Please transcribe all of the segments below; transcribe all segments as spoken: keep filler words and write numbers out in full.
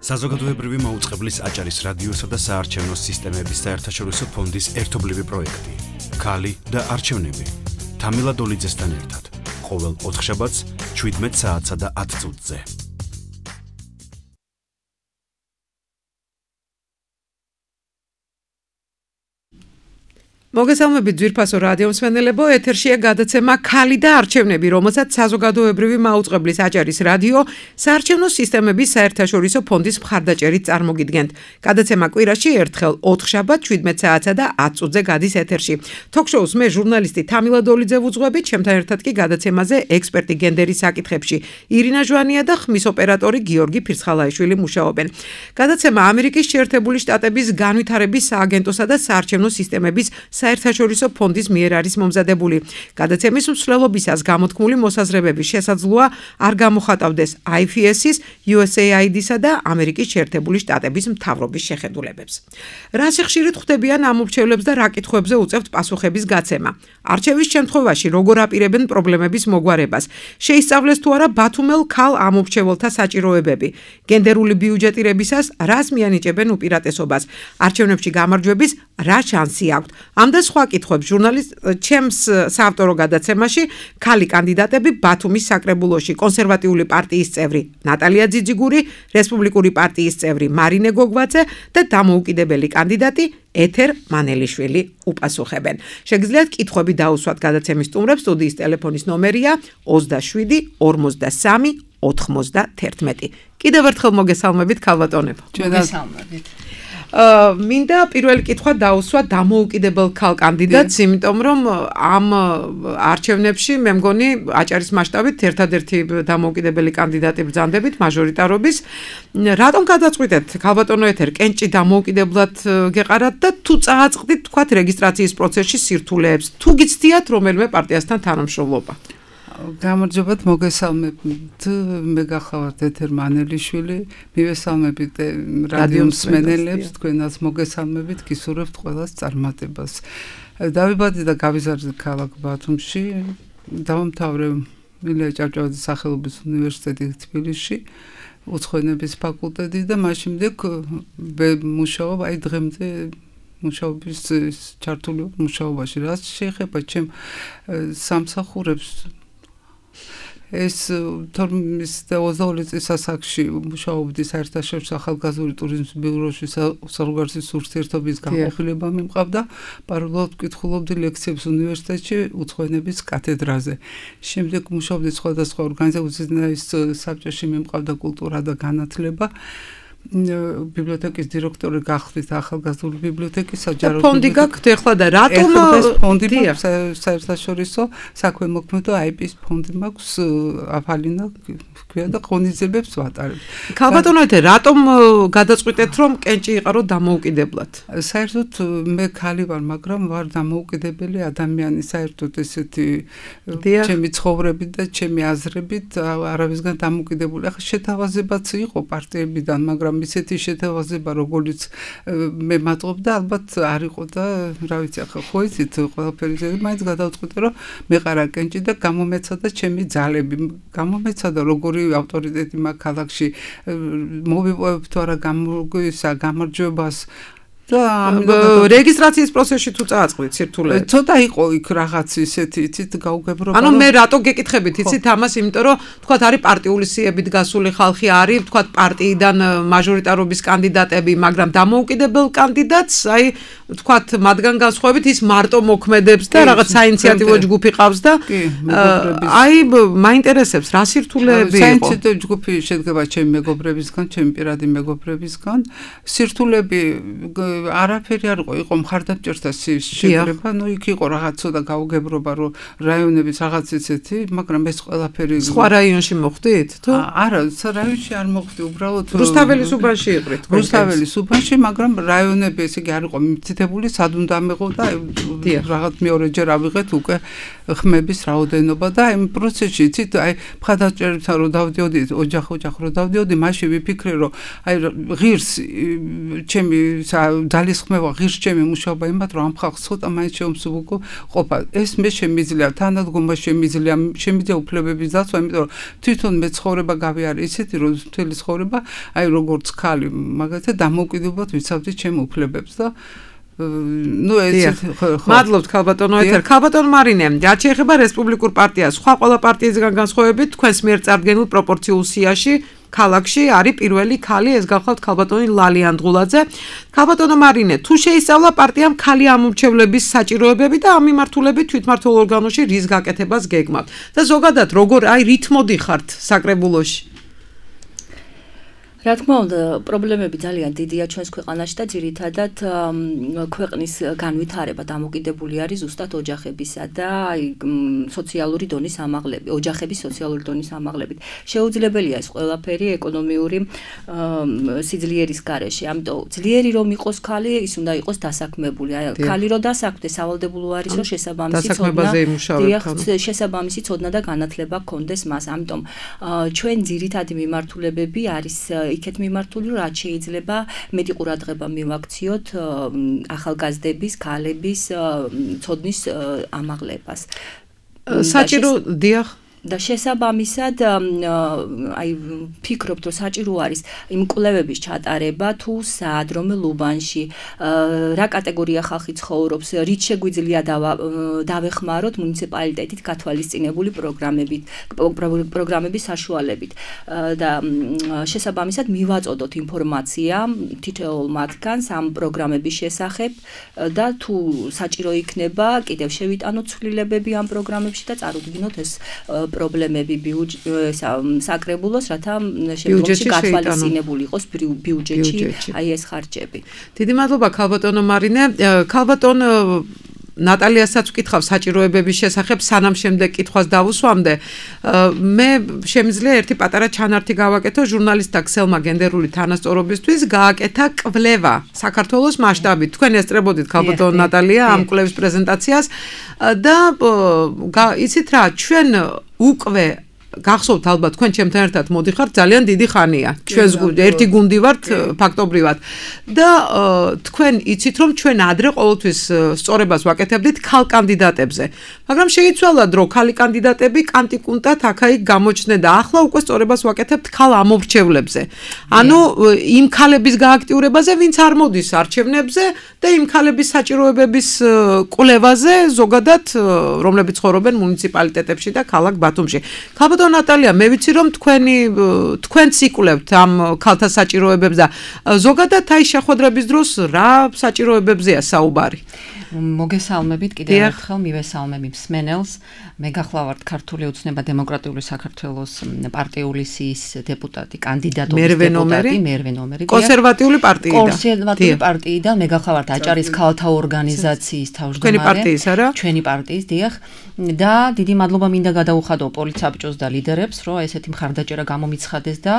საზოგადოებრივი მაუწყებლის აჭარის რადიოსა და საარჩევნო სისტემების საერთაშორისო ფონდის ერთობლივი პროექტი. ქალი და არჩევნები. თამილა დოლიძესთან ერთად. ყოველ ოთხშაბათს შვიდმეტ საათსა და ათ წუთზე. მოგესალმებით ძვირფასო რადიო მსმენელებო, ეთერშია გადაცემა ქალი და არჩევნები, რომელსაც საზოგადოებრივი მაუწყებლის აჭარის რადიო საარჩევნო სისტემების საერთაშორისო ფონდის მხარდაჭერით წარმოგიდგენთ. გადაცემა კვირაში ერთხელ ოთხშაბათს შვიდმეტ საათსა და ათ წუთზე გადის ეთერში. Თოქ-შოუს მე ჟურნალისტი თამილა დოლიძე ვუძღვებით, ჩემთან ერთად კი გადაცემაზე ექსპერტი გენდერის საკითხებში ირინა ჟვანია და ხმის ოპერატორი გიორგი ფირცხალაიშვილი მუშაობენ. გადაცემა ამერიკის შეერთებული შტატების განვითარების სააგენტოსა და საარჩევნო სისტემების საერთაშორისო ფონდის მიერ არის მომზადებული. გადაცემის მსვლელობისას გამოთქმული მოსაზრებები შესაძლოა არ გამოხატავდეს აი ეფ ეს-ის, იუ ეს ეი აი დი-სა და ამერიკის შეერთებული შტატების მთავრობის შეხედულებებს. რა სიხშირით ხვდებიან ამ ურჩევლებს და რა კითხვებზე უწევთ პასუხების გაცემა? არჩევის შემთხვევაში როგორ აპირებენ პრობლემების მოგვარებას? შეისწავლეს თუ არა ბათუმელ ქალ ამ ურჩევლთა საჭიროებები? გენდერული ბიუჯეტირებისას რას მიანიჭებენ უპირატესობას? არჩევნებში გამარჯვების რა შანსი აქვთ? ამ და სხვა კითხვებს ჟურნალისტ ჩემს საავტორო გადაცემაში ქალი კანდიდატები ბათუმის საკრებულოში კონსერვატიული პარტიის წევრი ნატალია ძიძიგური, რესპუბლიკური პარტიის წევრი მარინე გოგვაძე და დამოუკიდებელი კანდიდატი ეთერ მანელიშვილი უპასუხებენ. შეგიძლიათ კითხვები დაუსვათ გადაცემის სტუმრებს. სტუდიის ტელეფონის ნომერია ოცდაშვიდი ორმოცდასამი ოთხმოცდაათერთმეტი. კიდევ ერთხელ მოგესალმებით ქალბატონებო. მოგესალმებით. მინდა პირველი კითხვა დაუსვა დამოუკიდებელ ქალ კანდიდატს, იმიტომ რომ ამ არჩევნებში მე მგონი აჭარის მასშტაბით ერთადერთი დამოუკიდებელი კანდიდატი ბრძანდებით მაჟორიტარობის. რატომ გადაწყვიტეთ ქალბატონო ეთერ კენჭი დამოუკიდებლად გეყარათ და თუ წააწყდით თქვათ რეგისტრაციის პროცესში სირთულეებს, თუ გიცდიათ რომელიმე პარტიასთან თანამშრომლობა? გამარჯობათ, მოგესალმებით. მე გახლავართ ეთერ მანელიშვილი, მივესალმებით რადიო მსმენელებს, თქვენას მოგესალმებით, გისურვებთ ყველას წარმატებას. დავიბადე და გავიზარდე ქალაქ ბათუმში, დავამთავრე მილია ჭავჭავაძის სახელობის უნივერსიტეტი თბილისში, უცხოენების ფაკულტეტი და მას შემდეგ მუშაობ აი დღემდე მუშაობის ჩართული მუშაობაში. რაც შეეხება ჩემ სამსახურებს, ეს თორმეტ ოცდაორი წლის ასაკში მუშაობდი საერთაშორისო ახალგაზრდული ტურიზმის ბიუროში, საზღვარგარეთის ურთიერთობის განყოფილება მიმყავდა, პარალელურად ვკითხულობდი ლექციებს უნივერსიტეტში უცხოენების კათედრაზე. შემდეგ მუშაობდი სხვადასხვა ორგანიზაციის საბჭოში, მიმყავდა კულტურა და განათლება. ბიბლიოთეკის დირექტორი გახდით ახალგაზრდული ბიბლიოთეკის საჯარო ფონდი გაქვთ ახლა და რატომ ფონდი საერთაშორისო საქვემოქმედო აი პი-ის ფონდი მაქვს, აფალინა ქვია და ღონისძიებებს ვატარებ. ქალბატონო ეთერ რატომ გადაწყვიტეთ რომ კენჭი იყარო დამოუკიდებლად? საერთოდ მე ქალი ვარ, მაგრამ ვარ დამოუკიდებელი ადამიანი, საერთოდ ესეთი ჩემი ცხოვრებით და ჩემი აზრებით არავისგან დამოუკიდებული. ახლა შეთავაზებაც იყო პარტიებიდან, მაგრამ ისეთი შეთავაზება, როგორც მე მატყობ და ალბათ არ იყო და რა ვიცი, ახლა ხო იცით ყველაფერი ზე, მაინც გადავწყვიტე რომ მეყარა კენჭი და გამომეცადა ჩემი ძალები, გამომეცადა როგორი ავტორიტეტი მაქვს ქალაქში, მოვიპოვებ თუ არა გამოგისა გამარჯვებას და რეგისტრაციის პროცესში თუ წააწყდით სირთულეებს? ცოტა იყო იქ რაღაც ისეთი, იცით, გაუგებრობა. ანუ მე რატო გეკითხებით, იცით ამას, იმიტომ რომ თქვათ არის პარტიული სიებით გასული ხალხი, არის თქვათ პარტიიდან მაჟორიტარობის კანდიდატები, მაგრამ დამოუკიდებელ კანდიდატს, აი თქვათ მათგან განსხვავებით ის მარტო მოქმედებს და რაღაც საინიციატივო ჯგუფი ყავს და აი მაინტერესებს რა სირთულეები იყო? საინიციატივო ჯგუფი შედგება ჩემი მეგობრებისგან, ჩემი პირადი მეგობრებისგან. სირთულეები არაფერი არ იყო, იყო მხარდამჭერთა შეკრება, ну იქ იყო რაღაც ცოტა გაუგებრობა, რომ რაიონების რაღაც ისეთი, მაგრამ ეს ყველაფერი სხვა რაიონში მოხდით, თუ? არა, რაიონში არ მოხდი, უბრალოდ რუსთაველის უბანში იყრით. რუსთაველის უბანში, მაგრამ რაიონები ესე იგი არ იყო მითითებული, სად უნდა მეღო და რაღაც მეორეჯერ ავიღეთ უკვე ხმების რაოდენობა და აი პროცესში იცით აი მხარდაჭერებთან რომ დავდიოდი ოჯახ-ოჯახ რომ დავდიოდი მაშინ ვიფიქრე რომ აი ღირს ჩემი ძალისხმევა ღირს ჩემი მუშაობა იმათ რომ ამ ხალხს ცოტა მაინც შეუმსუბუქო ყოფა ეს მე შემიძლია თანადგომა შემიძლია შემიძლია უფლებების დაცვა იმიტომ რომ თვითონ მე ცხოვრება გავიარე ისეთი რომ მთელი ცხოვრება აი როგორც ხალი მაგალითად დამოუკიდებლად ვიცავდი ჩემ უფლებებს და ну ეს მადლობთ ქალბატონო ეთერ ქალბატონ მარინე რაც შეეხება რესპუბლიკურ პარტიას სხვა ყველა პარტიისგან განსხვავებით თქვენს მიერ წარდგენილ პროპორციულ სიაში ქალაქში არის პირველი ქალი ეს გახლავთ ქალბატონი ლალი ანდღულაძე ქალბატონო მარინე თუ შეისწავლა პარტიამ ქალი ამორჩევლების საჭიროებები და ამ მიმართულებით თვითმმართველ ორგანოში რის გაკეთებას გეგმავთ და ზოგადად როგორ აი რით მოდიხართ საკრებულოში რა თქმა უნდა, პრობლემები ძალიან დიდია ჩვენს ქვეყანაში და ძირითადად ქვეყნის განვითარება დამოკიდებული არის ზუსტად ოჯახებისა და აი სოციალური დონის ამაღლებით, ოჯახების სოციალური დონის ამაღლებით. შეუძლებელია ეს ყველაფერი ეკონომიური სიძლიერის გარეშე. ამიტომ ძლიერი რომ იყოს ქალი, ის უნდა იყოს დასაქმებული. აი ქალი რომ დასაქმდეს, სავალდებულო არის რომ შესაბამისი ცოდნა, შესაბამისი ცოდნა და განათლება ჰქონდეს მას. ამიტომ ჩვენ ძირითადი მიმართულებები არის იქეთ მიმართული რომ რაც შეიძლება მეტი ყურადღება მივაქციოთ ახალგაზრდების, ქალების ცოდნის ამაღლებას. საჭირო დიახ და შესაბამისად აი ფიქრობთ რომ საჭირო არის იმ კვლევების ჩატარება თუ სად რომელ უბანში რა კატეგორია ხალხი ცხოვრობს რით შეგვიძლია დავეხმაროთ მუნიციპალიტეტით გათვალისწინებული პროგრამებით პროგრამების საშუალებით და შესაბამისად მივაწოდოთ ინფორმაცია თითოეულ მათგანს ამ პროგრამების შესახებ და თუ საჭირო იქნება კიდევ შევიტანოთ ცვლილებები ამ პროგრამებში და წარუდგინოთ ეს პრობლემები საკრებულოს, რათა შემდგომში გათვალისწინებული იყოს ბიუჯეტში აი ეს ხარჯები. დიდი მადლობა ქალბატონო მარინე. ქალბატონ ნატალიასაც ვკითხავ საჭიროებების შესახებ, სანამ შემდეგ კითხვას დავუსვამდე. მე შემიძლია ერთი პატარა ჩანართი გავაკეთო ჟურნალისტთა ქსელმა გენდერული თანასწორობისთვის, გააკეთა კვლევა საქართველოს მასშტაბით. თქვენ ესწრებოდით ქალბატონო ნატალია ამ კვლევის პრეზენტაციას და იცით რა, ჩვენ უკვე გახსოვთ ალბათ თქვენ ჩემთან ერთად მოდიხართ ძალიან დიდი ხანია. ჩვენს ერთი გუნდი ვართ ფაქტობრივად. და თქვენ იცით რომ ჩვენ ადრე ყოველთვის სწორებას ვაკეთებდით ქალ კანდიდატებზე. მაგრამ შეიცვალა დრო ქალი კანდიდატები კანტიკუნტად აქა-იქ გამოჩნდნენ და ახლა უკვე სწორებას ვაკეთებთ ქალ ამორჩევლებზე. ანუ იმ ქალების გააქტიურებაზე, ვინც არ მოდის არჩევნებზე და იმ ქალების საჭიროებების კვლევაზე ზოგადად რომლებიც ცხოვრობენ მუნიციპალიტეტებში და ქალაქ ბათუმში. ქალბატონო ნატალია, მე ვიცი რომ თქვენი თქვენც იკვლევთ ამ ქალთა საჭიროებებს და ზოგადად აი შეხვედრების დროს რა საჭიროებებზეა საუბარი? მოგესალმებით კიდევ ერთხელ მივესალმები მსმენელს. მე გახლავართ ქართული ოცნება დემოკრატიული საქართველოს პარტიული სიის დეპუტატი, კანდიდატობის დეპუტატი, მერვე ნომერი. კონსერვატიული პარტიიდან. კონსერვატიული პარტიიდან მე გახლავართ აჭარის ქალთა ორგანიზაციის თავმჯდომარე. ჩვენი პარტიის არა? ჩვენი პარტიის, დიახ. და დიდი მადლობა მინდა გადაუხადო პოლიცაბჭოს და ლიდერებს, რომ ესეთი მხარდაჭერა გამომიცხადეს და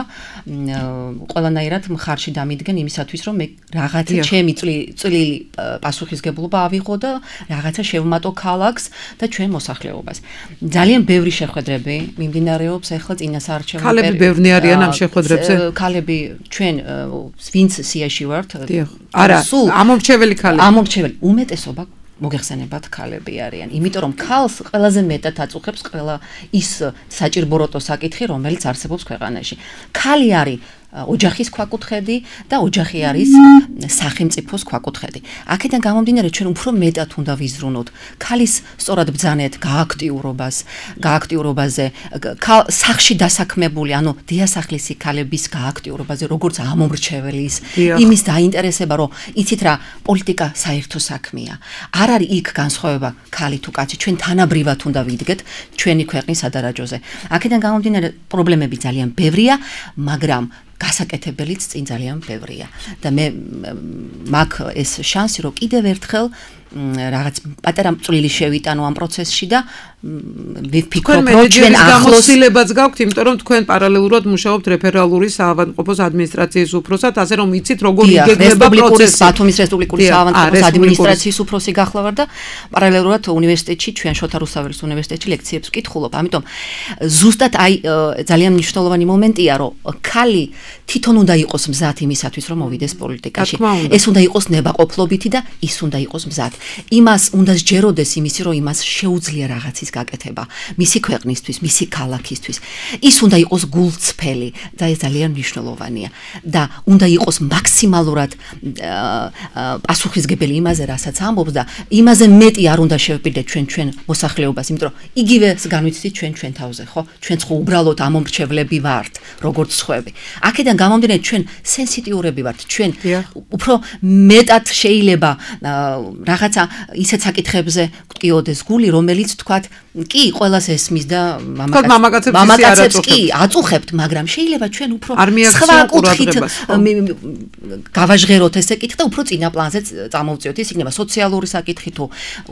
ყველანაირად მხარში დამიდგენ იმისათვის, რომ მე რაღაცა ჩემი წვლილი პასუხისგებლობა ავიღო და რაღაცა შევმატო ქალაქს და ჩვენ მოსახლეობას. ძალიან ბევრი შეხვედრები მიმდინარეობს ახლა წინასაარჩევნო ქალები ბევრი არიან ამ შეხვედრებზე? ქალები ჩვენ ვინც სიაში ვართ? არა, ამორჩეველი ქალები. ამორჩეველი უმეტესობა მოგეხსენებათ ქალები არიან. იმიტომ რომ ქალს ყველაზე მეტად აწუხებს ყველა ის საჭირბოროტო საკითხი, რომელიც არსებობს ქვეყანაში. ქალი არის ოჯახის ქვაკუთხედი და ოჯახი არის სახელმწიფოს ქვაკუთხედი. აქედან გამომდინარე ჩვენ უფრო მეტად უნდა ვიზრუნოთ ქალის სწორად ბრძანეთ გააქტიურობას, გააქტიურობაზე, სახში დასაქმებული, ანუ დიასახლისი ქალების გააქტიურობაზე, როგორც ამომრჩეველის, იმის დაინტერესება, რომ იცით რა, პოლიტიკა საერთო საქმეა. არ არის იქ განსხვავება ქალი თუ კაცი, ჩვენ თანაბრიად უნდა ვიდგეთ ჩვენი ქვეყნის სადარაჯოზე. აქედან გამომდინარე პრობლემები ძალიან ბევრია, მაგრამ გასაკეთებელიც წინ ძალიან ბევრია და მე მაგ ეს შანსი რომ კიდევ ერთხელ რაღაც პატარა წვლილი შევიტანო ამ პროცესში და ვიფიქრობ რომ ჩვენ ახლოს გამოცდილებაც გაქვთ, იმიტომ რომ თქვენ პარალელურად მუშაობთ რეფერალური საავადმყოფოს ადმინისტრაციის უფროსად, ასე რომ იცით როგორ იგეგმება პროცესი. ბათუმის რესპუბლიკური საავადმყოფოს ადმინისტრაციის უფროსი გახლა ვარ და პარალელურად უნივერსიტეტში ჩვენ შოთა რუსთაველის უნივერსიტეტში ლექციებს ვკითხულობ. ამიტომ ზუსტად აი ძალიან მნიშვნელოვანი მომენტია, რომ ქალი თვითონ უნდა იყოს მზად იმისათვის, რომ მოვიდეს პოლიტიკაში. ეს უნდა იყოს ნებაყოფლობითი და ის უნდა იყოს მზად. იმას უნდა სჯეროდეს იმისი, რომ იმას შეუძლია რაღაცის გაკეთება, მისი ქვეყნისთვის, მისი ქალაქისთვის. ის უნდა იყოს გულწრფელი და ეს ძალიან მნიშვნელოვანია და უნდა იყოს მაქსიმალურად პასუხისგებელი იმაზე, რასაც ამბობს და იმაზე მეტი არ უნდა შევპირდეთ ჩვენ ჩვენ მოსახლეობას, იმიტომ რომ იგივე განვიცდით ჩვენ ჩვენ თავზე, ხო? ჩვენც ხო უბრალოდ ამომრჩევლები ვართ, როგორც სხვები. აქედან გამომდინარე ჩვენ სენსიტიურები ვართ, ჩვენ უფრო მეტად შეიძლება რაღაცა ისეთ საკითხებზე გტკიოდეს გული, რომელიც თქვათ კი ყველას ესმის და მამაკაცებს კი აწუხებთ, მაგრამ შეიძლება ჩვენ უფრო სხვა კუთხით გავაჟღეროთ ეს საკითხი და უფრო წინა პლანზე წამოვწიოთ. ეს იქნება სოციალური საკითხი თუ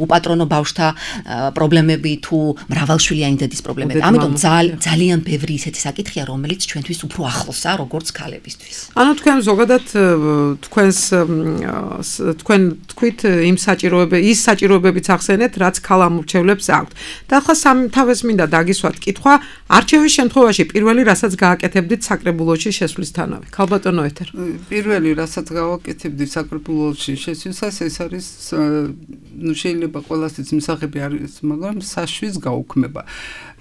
უპატრონო ბავშვთა პრობლემები თუ მრავალშვილიანი დედის პრობლემები. ამიტომ ძალიან ბევრი ისეთი საკითხია, რომელიც ჩვენთვის უფრო ახლოსაა, როგორც ქალებისთვის. ანუ თქვენ ზოგადად თქვენს თქვენ თქვით იმ საჭიროებები, ის საჭიროებებიც ახსენეთ, რაც ქალამორჩევლებს აქვთ. და ახლა სამთავეს მინდა დაგისვათ კითხვა, არჩევის შემთხვევაში პირველი რასაც გააკეთებდით საკრებულოში შესვლისთანავე. ქალბატონო ეთერ. პირველი რასაც გავაკეთებდით საკრებულოში შესვლისას ეს არის ნუ შეიძლება ყველასთვის მსახები არის, მაგრამ საშვის გაუქმება.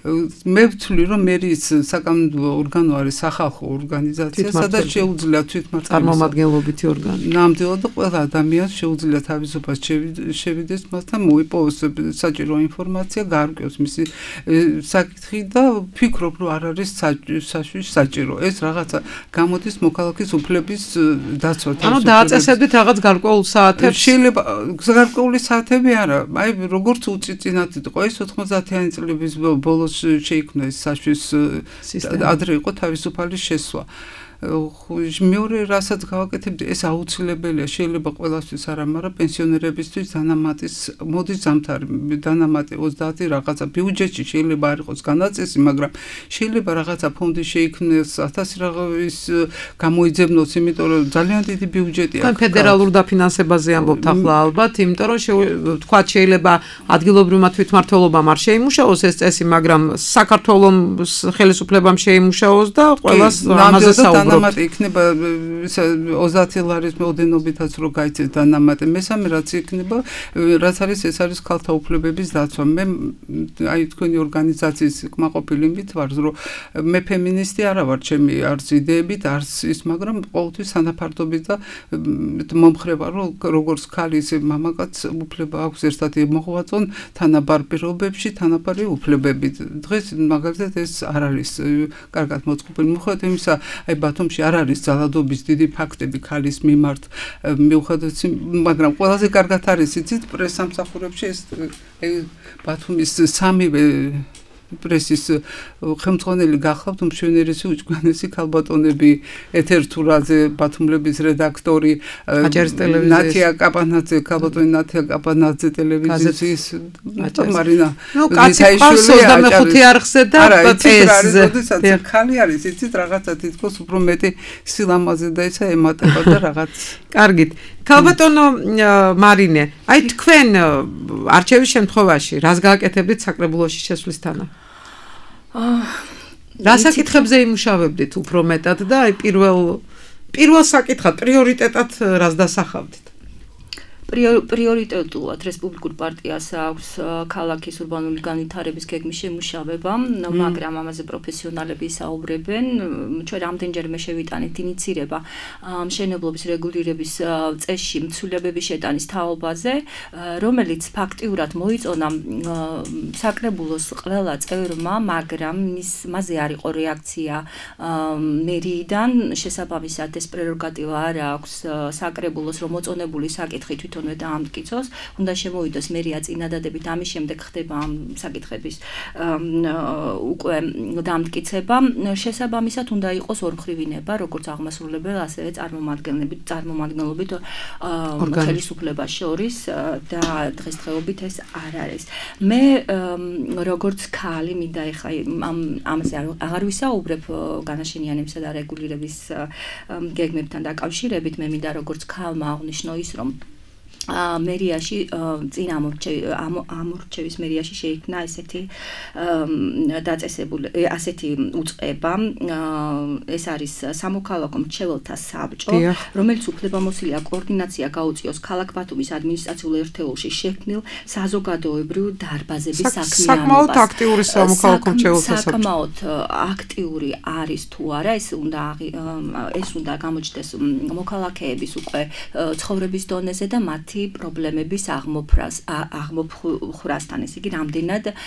მე ვთვლი რომ მერის საკანონმდებლო ორგანო არის სახალხო ორგანიზაცია, სადაც შეუძლია თვითმმართველობის წარმომადგენლობითი ორგანო. ნამდვილად და ყველა ადამიანს შეუძლია თავისუფლად შევიდეს მასთან, მოიპოვოს საჭირო ინფორმაცია, გაარკვიოს მისი საკითხი და ვფიქრობ რომ არ არის საშვის საჭირო. ეს რაღაცა გამოდის მოქალაქის უფლების დაცვა. ანუ დააწესებდით რაღაც გარკვეულ საათებს? შეიძლება გარკვეული საათები არა. აი როგორც უწიწინათ იყო ეს ოთხმოცდაათიანი წლების ბოლოს შეიქმნა ეს საშვის ადრე იყო თავისუფალი შესვლა. მეორე რასაც გავაკეთებდი, ეს აუცილებელია, შეიძლება ყველასთვის არა, მაგრამ პენსიონერებისთვის დანამატის მოდის ზამთარი, დანამატი ოცდაათი რაღაცა ბიუჯეტში შეიძლება არ იყოს განაწესი, მაგრამ შეიძლება რაღაცა ფონდი შეიქმნეს, ათასი რაღაცის გამოიძებნოს, იმიტომ რომ ძალიან დიდი ბიუჯეტი აქვს. ფედერალურ დაფინანსებაზე ამბობთ ახლა ალბათ, იმიტომ რომ თქვათ შეიძლება ადგილობრივმა თვითმმართველობამ არ შეიმუშაოს ეს წესი, მაგრამ საქართველოს ხელისუფლებამ შეიმუშაოს და ყველას ამაზე საუბრობთ. დანამატი იქნება ოცდაათი ლარის მოდენობითაც რო გაიცეს დანამატი. მესამე რაც იქნება, რაც არის ეს არის ქალთა უფლებების დაცვა. მე აი თქვენი ორგანიზაციის კმაყოფილებით ვარ, რომ მე ფემინისტი არა ვარ, ჩემი არც იდეებით, არც ის, მაგრამ ყოველთვის თანაფარდობით და მომხრე ვარ, რომ როგორც ქალი ისე მამაკაც უფლება აქვს ერთად მოღვაწონ თანაბარ პირობებში, თანაბარი უფლებებით. დღეს მაგალითად ეს არ არის კარგად მოწყობილი. მიუხედავად იმისა, აი ბათუმში არ არის ძალადობის დიდი ფაქტები ქალის მიმართ, მიუხედავად, მაგრამ ყველაზე კარგად არის იცით პრესამსახურებში ეს ბათუმის სამივე პრესის ხელმძღვანელი გახლავთ უმშვენიერესი უჭკვიანესი ქალბატონები ეთერთურაძე, ბათუმლების რედაქტორი, ნათია კაპანაძე, ქალბატონი ნათია კაპანაძე ტელევიზიის მარინა მისაიშვილი ოცდამეხუთე არხზე და პესზე. როდესაც ქალი არის, იცით რაღაცა თითქოს უფრო მეტი სილამაზე და ისა ემატება და რაღაც. კარგით. ქალბატონო მარინე, აი თქვენ არჩევის შემთხვევაში რას გააკეთებდით საკრებულოში შესვლისთანავე? რა საკითხებზე იმუშავებდით უფრო მეტად და აი პირველ პირველ საკითხად პრიორიტეტად რას დასახავდით? პრიორიტეტულად რესპუბლიკურ პარტიას აქვს ქალაქის ურბანული განვითარების გეგმის შემუშავება, მაგრამ ამაზე პროფესიონალები საუბრებენ. ჩვენ რამდენჯერმე შევიტანეთ ინიცირება მშენებლობის რეგულირების წესში მცველებების შეტანის თაობაზე, რომელიც ფაქტიურად მოიწონა საკრებულოს ყველა წევრმა, მაგრამ მასზე არ იყო რეაქცია მერიიდან. შესაბამისად ეს პრეროგატივა არ აქვს საკრებულოს, რომ მოწონებული საკითხი თვითონ თორმეტ დაამტკიცოს, უნდა შემოვიდოს მერია წინადადებით, ამის შემდეგ ხდება ამ საკითხების უკვე დაამტკიცება. შესაბამისად უნდა იყოს ორმხრივინება, როგორც აღმასრულებელ, ასევე წარმომადგენლობით, წარმომადგენლობით ხელისუფლებას შორის და დღესდღეობით ეს არ არის. მე როგორც ქალი მინდა ეხლა ამ ამაზე აღარ ვისაუბრებ განაშენიანებისა და რეგულირების გეგმებთან დაკავშირებით, მე მინდა როგორც ქალმა აღნიშნო ის, რომ მერიაში წინ ამორჩევის მერიაში შეიქმნა ესეთი დაწესებული ასეთი უწყება, ეს არის სამოქალაქო მრჩეველთა საბჭო, რომელიც უფლებამოსილია კოორდინაცია გაუწიოს ქალაქ ბათუმის ადმინისტრაციულ ერთეულში შექმნილ საზოგადოებრივ დარბაზების საქმიანობას. საკმაოდ აქტიური სამოქალაქო მრჩეველთა საბჭო. საკმაოდ აქტიური არის თუ არა, ეს უნდა ეს უნდა გამოჩნდეს მოქალაქეების უკვე ცხოვრების დონეზე და მათ პრობლემების აღმოფრას აღმოფხვრასთან, ესე იგი, რამდენად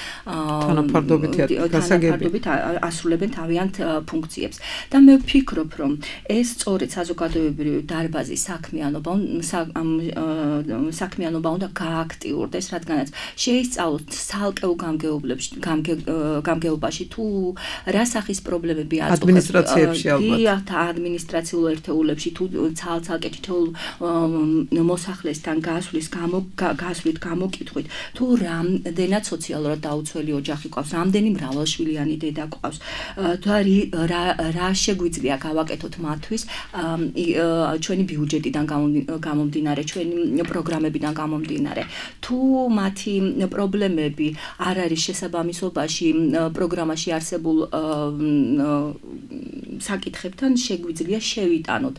თანაფარდობით ასრულებენ თავიანთ ფუნქციებს. და მე ვფიქრობ, რომ ეს სწორედ საზოგადოებრივი დარბაზის საქმიანობა საქმიანობა უნდა გააქტიურდეს, რადგანაც შეისწავლოთ ცალკეულ გამგეობაში თუ რა სახის პრობლემები აწუხებს ადმინისტრაციებში ალბათ. ადმინისტრაციულ ერთეულებში თუ ცალ-ცალკე თითოეულ მოსახლესთან გასვლის გამო გასვლით გამოკითხვით თუ რამდენად სოციალურად დაუცველი ოჯახი ყავს, რამდენი მრავალშვილიანი დედა ყავს, და რა შეგვიძლია გავაკეთოთ მათთვის ჩვენი ბიუჯეტიდან გამომდინარე, ჩვენი პროგრამებიდან გამომდინარე. თუ მათი პრობლემები არ არის შესაბამისობაში პროგრამაში არსებულ საკითხებთან, შეგვიძლია შევიტანოთ,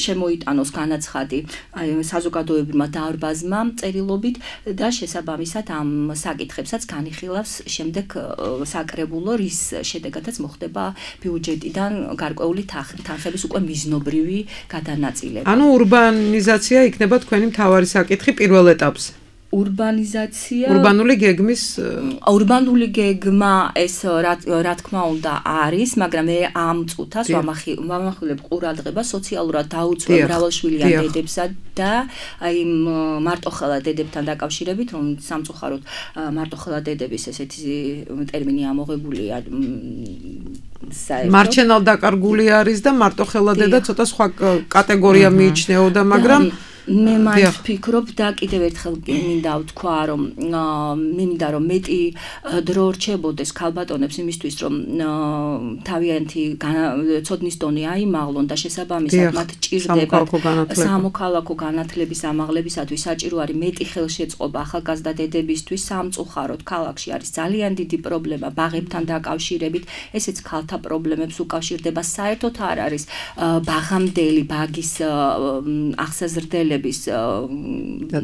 შემოიტანოს განაცხადი საზოგადოებრივმა დარბაზმა წერილობით და შესაბამისად ამ საკითხებსაც განიხილავს შემდეგ საკრებულო, რის შედეგადაც მოხდება ბიუჯეტიდან გარკვეული თანხების უკვე მიზნობრივი გადანაწილება. ანუ ურბანიზაცია იქნება თქვენი მთავარი საკითხი პირველ ეტაპზე. ურბანიზაცია ურბანული გეგმის ურბანული გეგმა ეს რა თქმა უნდა არის, მაგრამ მე ამ წუთას ვამახვილებ ყურადღებას სოციალურად დაუცველ მრავალშვილიან დედებსა და აი მარტოხელა დედებთან დაკავშირებით, რომ სამწუხაროდ მარტოხელა დედების ესეთი ტერმინი ამოღებულია მარჩენალ დაკარგული არის და მარტოხელა დედა ცოტა სხვა კატეგორია მიიჩნეოდა, მაგრამ მე მაინც ვფიქრობ და კიდევ ერთხელ მინდა ვთქვა, რომ მე მინდა რომ მეტი დრო რჩებოდეს ქალბატონებს იმისთვის, რომ თავიანთი ცოდნის დონე აიმაღლონ და შესაბამისად მათ ჭირდება სამოქალაქო განათლების ამაღლებისათვის საჭირო არის მეტი ხელშეწყობა ახალგაზრდა დედებისთვის. სამწუხაროდ ქალაქში არის ძალიან დიდი პრობლემა ბაღებთან დაკავშირებით, ესეც ქალთა პრობლემებს უკავშირდება. საერთოდ არ არის ბაღამდელი ბაგის ახსაზრდელი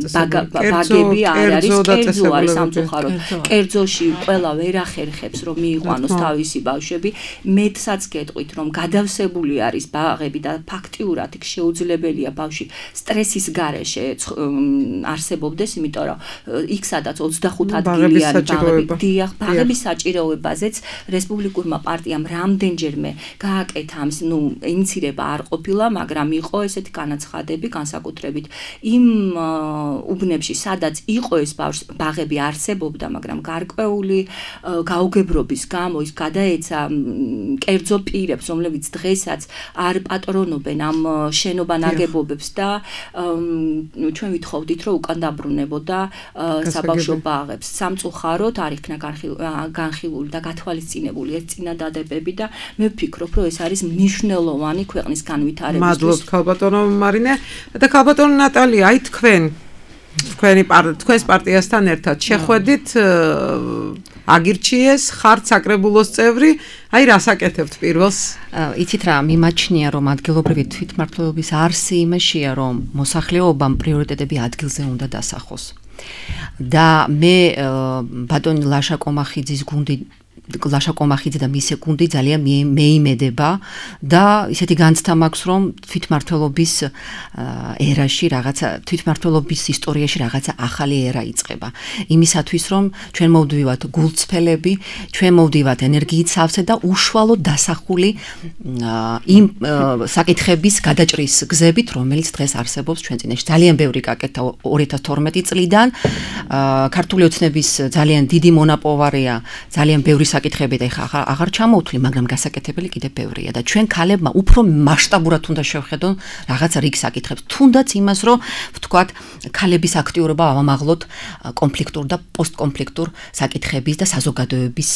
ბაგები არ არის, კერძო არის სამწუხაროდ. კერძოში ყველა ვერ ახერხებს, რომ მიიყვანოს თავისი ბავშვები. მეტსაც გეტყვით, რომ გადავსებული არის ბაღები და ფაქტიურად იქ შეუძლებელია ბავშვი სტრესის გარეშე არსებობდეს, იმიტომ რომ იქ სადაც ოცდახუთ ადგილიანი ბაღები, დიახ, ბაღების საჭიროებაზეც რესპუბლიკურმა პარტიამ რამდენჯერმე გააკეთა ამის, ნუ ინიცირება არ ყოფილა, მაგრამ იყო ესეთი განაცხადები, განსაკუთრებით იმ უბნებში, სადაც იყო ეს ბაღები არსებობდა, მაგრამ გარკვეული გაუგებრობის გამო ის გადაეცა კერძო პირებს, რომლებიც დღესაც არ პატრონობენ ამ შენობა ნაგებობებს და ჩვენ ვითხოვდით, რომ უკან დაბრუნებოდა საბავშვო ბაღებს. სამწუხაროდ არ იქნა განხილული და გათვალისწინებული ეს წინადადებები და მე ვფიქრობ, რომ ეს არის მნიშვნელოვანი ქვეყნის განვითარებისთვის. მადლობთ ქალბატონო მარინე და ქალბატონო ნატალია, აი თქვენ თქვენი თქვენს პარტიასთან ერთად შეხვედით, აგირჩიეს, ხართ საკრებულოს წევრი, აი რას აკეთებთ პირველს? იცით რა, მიმაჩნია, რომ ადგილობრივი თვითმმართველობის არსი იმაშია, რომ მოსახლეობამ პრიორიტეტები ადგილზე უნდა დასახოს. და მე ბატონი ლაშა კომახიძის გუნდი ლაშა კომახიძე და მისი გუნდი ძალიან მეიმედება და ისეთი განცდა მაქვს რომ თვითმმართველობის ერაში რაღაცა თვითმმართველობის ისტორიაში რაღაცა ახალი ერა იწყება იმისათვის რომ ჩვენ მოვდივართ გულწრფელები ჩვენ მოვდივართ ენერგიით სავსე და უშუალოდ დასახული იმ საკითხების გადაჭრის გზებით რომელიც დღეს არსებობს ჩვენ წინაშე ძალიან ბევრი გაკეთა ორი ათას თორმეტი წლიდან ქართული ოცნების ძალიან დიდი მონაპოვარია ძალიან ბევრი საკითხები და ეხლა აღარ ჩამოვთვლი, მაგრამ გასაკეთებელი კიდევ ბევრია და ჩვენ ქალებმა უფრო მასშტაბურად უნდა შევხედონ რაღაც რიგ საკითხებს, თუნდაც იმას, რომ ვთქვათ, ქალების აქტიურობა ავამაღლოთ კონფლიქტურ და პოსტკონფლიქტურ საკითხების და საზოგადოების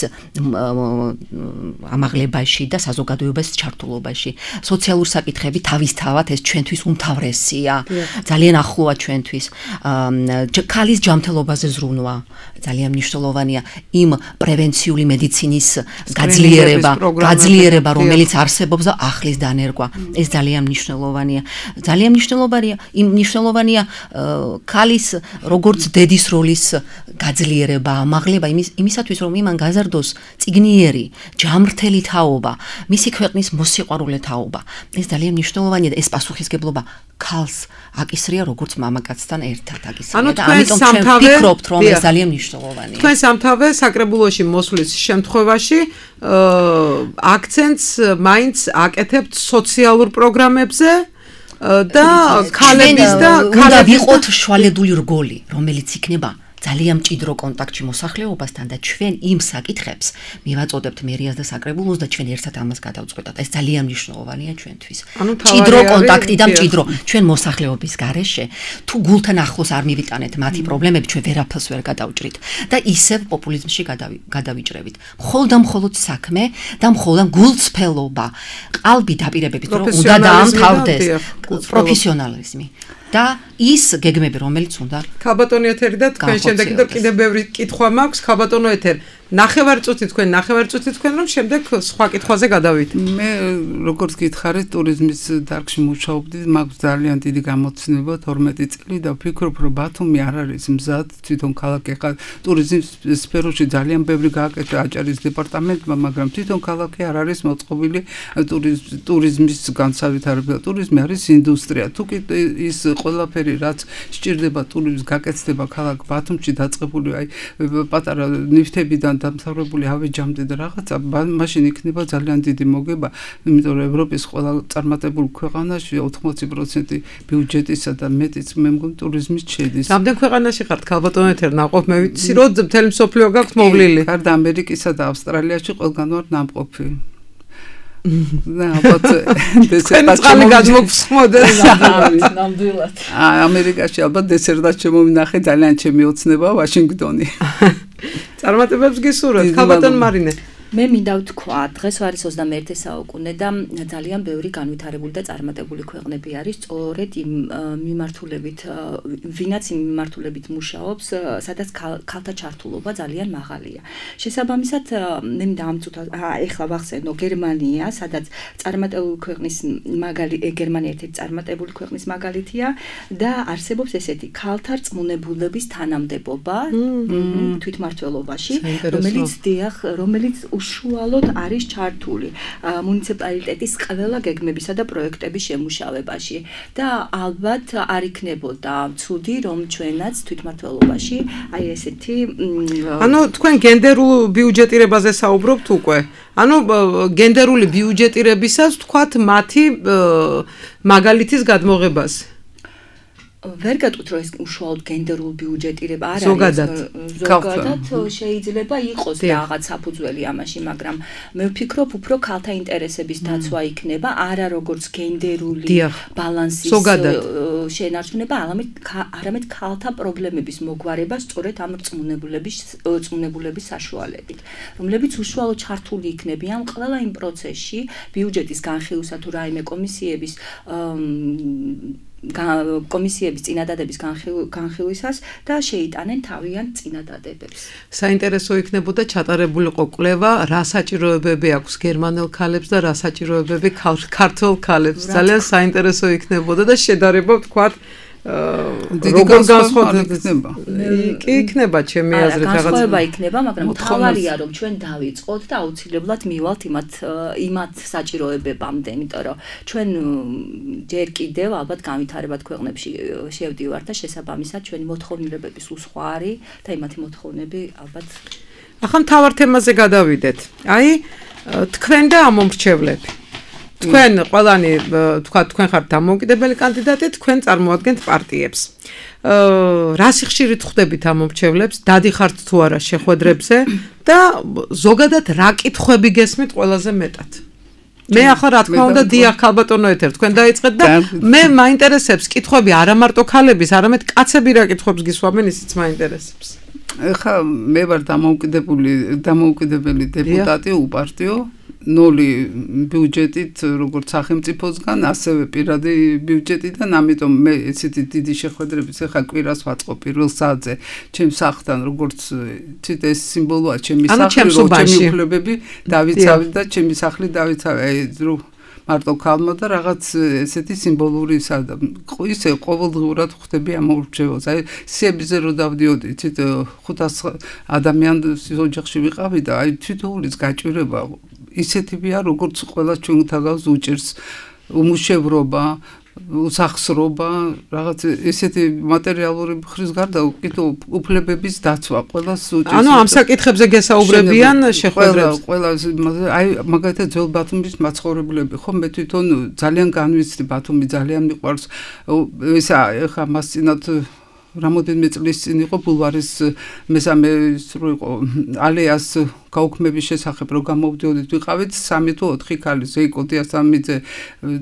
ამაღლებაში და საზოგადოების ჩართულობაში. სოციალურ საკითხები თავისთავად ეს ჩვენთვის უმთავრესია, ძალიან ახლოა ჩვენთვის. ქალის ჯანმრთელობაზე ზრუნვა ძალიან მნიშვნელოვანია იმ პრევენციული მედიცინის გაძლიერება, გაძლიერება, რომელიც არსებობს და ახლის დანერგვა. ეს ძალიან მნიშვნელოვანია. ძალიან მნიშვნელოვანია, იმ მნიშვნელოვანია ქალის როგორც დედის როლის გაძლიერება, ამაღლება იმის იმისათვის რომ იმან გაზარდოს წიგნიერი, ჯანმრთელი თაობა, მისი ქვეყნის მოსიყვარულე თაობა. ეს ძალიან მნიშვნელოვანია და ეს პასუხისგებლობა ქალს აკისრია როგორც მამაკაცთან ერთად აკისრია და ამიტომ ჩვენ ვფიქრობთ რომ ეს ძალიან მნიშვნელოვანია. თქვენ სამთავე საკრებულოში მოსვლის შემთხვევაში აქცენტს მაინც აკეთებთ სოციალურ პროგრამებზე და ქალების და ქალები ვიყოთ შვალედული რგოლი, რომელიც იქნება ძალიან მჭიდრო კონტაქტში მოსახლეობასთან და ჩვენ იმ საკითხებს მივაწოდებთ მერიას და საკრებულოს და ჩვენ ერთად ამას გადავწყვეტავთ. ეს ძალიან მნიშვნელოვანია ჩვენთვის. მჭიდრო კონტაქტი და მჭიდრო ჩვენ მოსახლეობის გარეშე თუ გულთან ახლოს არ მივიტანეთ მათი პრობლემები ჩვენ ვერაფერს ვერ გადავჭრით და ისევ პოპულიზმში გადავიჭრებით. მხოლოდ და მხოლოდ საქმე და მხოლოდ გულწრფელობა, ყალბი დაპირებებით რომ უნდა დაამთავრდეს პროფესიონალიზმი. და ის გეგმები რომელიც უნდა ქალბატონი ეთერი და თქვენ შემდეგ კიდევ ბევრი კითხვა მაქვს ქალბატონო ეთერ ნახევარწუთი თქვენ ნახევარწუთი თქვენ რომ შემდეგ სხვა კითხვაზე გადავით მე როგორც გითხარით ტურიზმის დარგში მუშაობდი მაქვს ძალიან დიდი გამოცდილება თორმეტი წელი და ვფიქრობ რომ ბათუმი არ არის მზად თვითონ ქალაქი ხარ ტურიზმის სფეროში ძალიან ბევრი გააკეთა აჭარის დეპარტამენტმა მაგრამ თვითონ ქალაქი არ არის მოწყობილი ტურიზმის განსავითარებლად ტურიზმი არის ინდუსტრია თუ კი ის ყველაფერი რაც სჭირდება ტურიზმის გაკეთება ქალაქ ბათუმში დაწყებული აი პატარა ნივთებიდან დამთავრებული ავეჯამდე და რაღაცა მაშინ იქნება ძალიან დიდი მოგება იმიტომ რომ ევროპის ყველა წარმატებულ ქვეყანაში ოთხმოცი პროცენტი ბიუჯეტისა და მეტიც მე მგონი ტურიზმის შედის. რამდენ ქვეყანაში ხართ ქალბატონო ეთერ ნაყოფ მე ვიცი რომ მთელი მსოფლიო გაქვთ მოვლილი. გარდა ამერიკისა და ავსტრალიაში ყველგან ვარ ნამყოფი. და ალბათ დესერტად გამოგხსმოდეს ნამდვილად. ამერიკაში ალბათ დესერტად შემოვინახე ძალიან ჩემი ოცნება ვაშინგტონი. წარმატებებს გისურვებთ ქალბატონ მარინე. მე მინდა ვთქვა, დღეს არის ოცდამეერთე საუკუნე და ძალიან ბევრი განვითარებული და წარმატებული ქვეყნები არის, სწორედ იმ მიმართულებით, ვინაც იმ მიმართულებით მუშაობს, სადაც ქალთა ჩართულობა ძალიან მაღალია. შესაბამისად, მე მინდა ამწუთა, ეხლა ვახსენო გერმანია, სადაც წარმატებული ქვეყნის მაგალი გერმანია ერთ-ერთი წარმატებული ქვეყნის მაგალითია და არსებობს ესეთი ქალთა რწმუნებულების თანამდებობა თვითმმართველობაში, რომელიც დიახ, რომელიც უშუალოდ არის ჩართული მუნიციპალიტეტის ყველა გეგმებისა და პროექტების შემუშავებაში და ალბათ არ იქნებოდა ცუდი რომ ჩვენაც თვითმმართველობაში აი ესეთი ანუ თქვენ გენდერულ ბიუჯეტირებაზე საუბრობთ უკვე ანუ გენდერული ბიუჯეტირებისას თქვათ მათი მაგალითის გადმოღებას ვერ გეტყვით რომ ეს უშუალოდ გენდერულ ბიუჯეტირება არ არის ზოგადად ზოგადად შეიძლება იყოს რაღაც საფუძველი ამაში მაგრამ მე ვფიქრობ უფრო ქალთა ინტერესების დაცვა იქნება არა როგორც გენდერული ბალანსის შენარჩუნება არამედ ქალთა პრობლემების მოგვარება სწორედ ამ რწმუნებულების რწმუნებულების საშუალებით რომლებიც უშუალოდ ჩართული იქნებიან ყველა იმ პროცესში ბიუჯეტის განხილვისა თუ რაიმე კომისიების კომისიების წინადადების განხილვისას და შეიტანენ თავიანთ წინადადებებს. საინტერესო იქნებოდა ჩატარებულიყო კვლევა, რა საჭიროებები აქვს გერმანელ ქალებს და რა საჭიროებები ქართულ ქალებს. ძალიან საინტერესო იქნებოდა და შედარება ვთქვათ როგორ განსხვავდება? კი იქნება ჩემი აზრით რაღაც. განსხვავება იქნება, მაგრამ მთავარია რომ ჩვენ დავიწყოთ და აუცილებლად მივალთ იმათ იმათ საჭიროებებამდე, იმიტომ რომ ჩვენ ჯერ კიდევ ალბათ განვითარებად ქვეყნებში შევდივართ და შესაბამისად ჩვენი მოთხოვნილებები სულ სხვა არის და იმათი მოთხოვნები ალბათ. ახლა მთავარ თემაზე გადავიდეთ. აი თქვენ და ამომრჩევლები. თქვენ ყველანი თქვა თქვენ ხართ დამოუკიდებელი კანდიდატი, თქვენ წარმოადგენთ პარტიებს. აა რა სიხშირით ხვდებით ამომრჩევლებს, დადიხართ თუ არა შეხვედრებზე და ზოგადად რა კითხვები გესმით ყველაზე მეტად? მე ახლა რა თქმა უნდა დიახ ქალბატონო ეთერ თქვენ დაიწყეთ და მე მაინტერესებს კითხვები არა მარტო ქალების, არამედ კაცები რა კითხვებს გისვამენ, ისიც მაინტერესებს. ეხა მე ვარ დამოუკიდებელი დამოუკიდებელი დეპუტატი უპარტიო ნული ბიუჯეტით როგორც სახელმწიფოსგან ასევე პირადი ბიუჯეტიდან ამიტომ მე ესეთი დიდი შეხვედრების ეხა კვირას ვაწყო პირველ საათზე ჩემს სახლთან როგორც ცით ეს სიმბოლოა ჩემი სახლი რომ ჩემი უფლებები დავიცავი და ჩემი სახლი დავიცავი აი რო მარტო ქალმა და რაღაც ესეთი სიმბოლური სადა ისე ყოველდღურად ხვდები ამორჩევას აი სიებიზე რო დავდიოდი თვით ხუთას ადამიანის ოჯახში ვიყავი და აი თვითონის გაჭირება ისეთებია როგორც ყველა ჩვენ თავს უჭერს უმუშევრობა უსახსრობა რაღაც ესეთი მატერიალური ხრის გარდა უკითხო უფლებების დაცვა ყველას უჭერს ანუ ამ საკითხებზე გესაუბრებიან შეხვედრებს ყველა აი მაგალითად ძველ ბათუმის მაცხოვრებლები ხო მე თვითონ ძალიან განვიცდი ბათუმი ძალიან მიყვარს ესა ეხა მას წინათ რამოდენიმე წლის წინ იყო ბულვარის მესამე სრულ იყო ალეას გაუქმების შესახებ რო გამოვდიოდით ვიყავით სამი თუ ოთხი ქალი ზეიკო დიასამიძე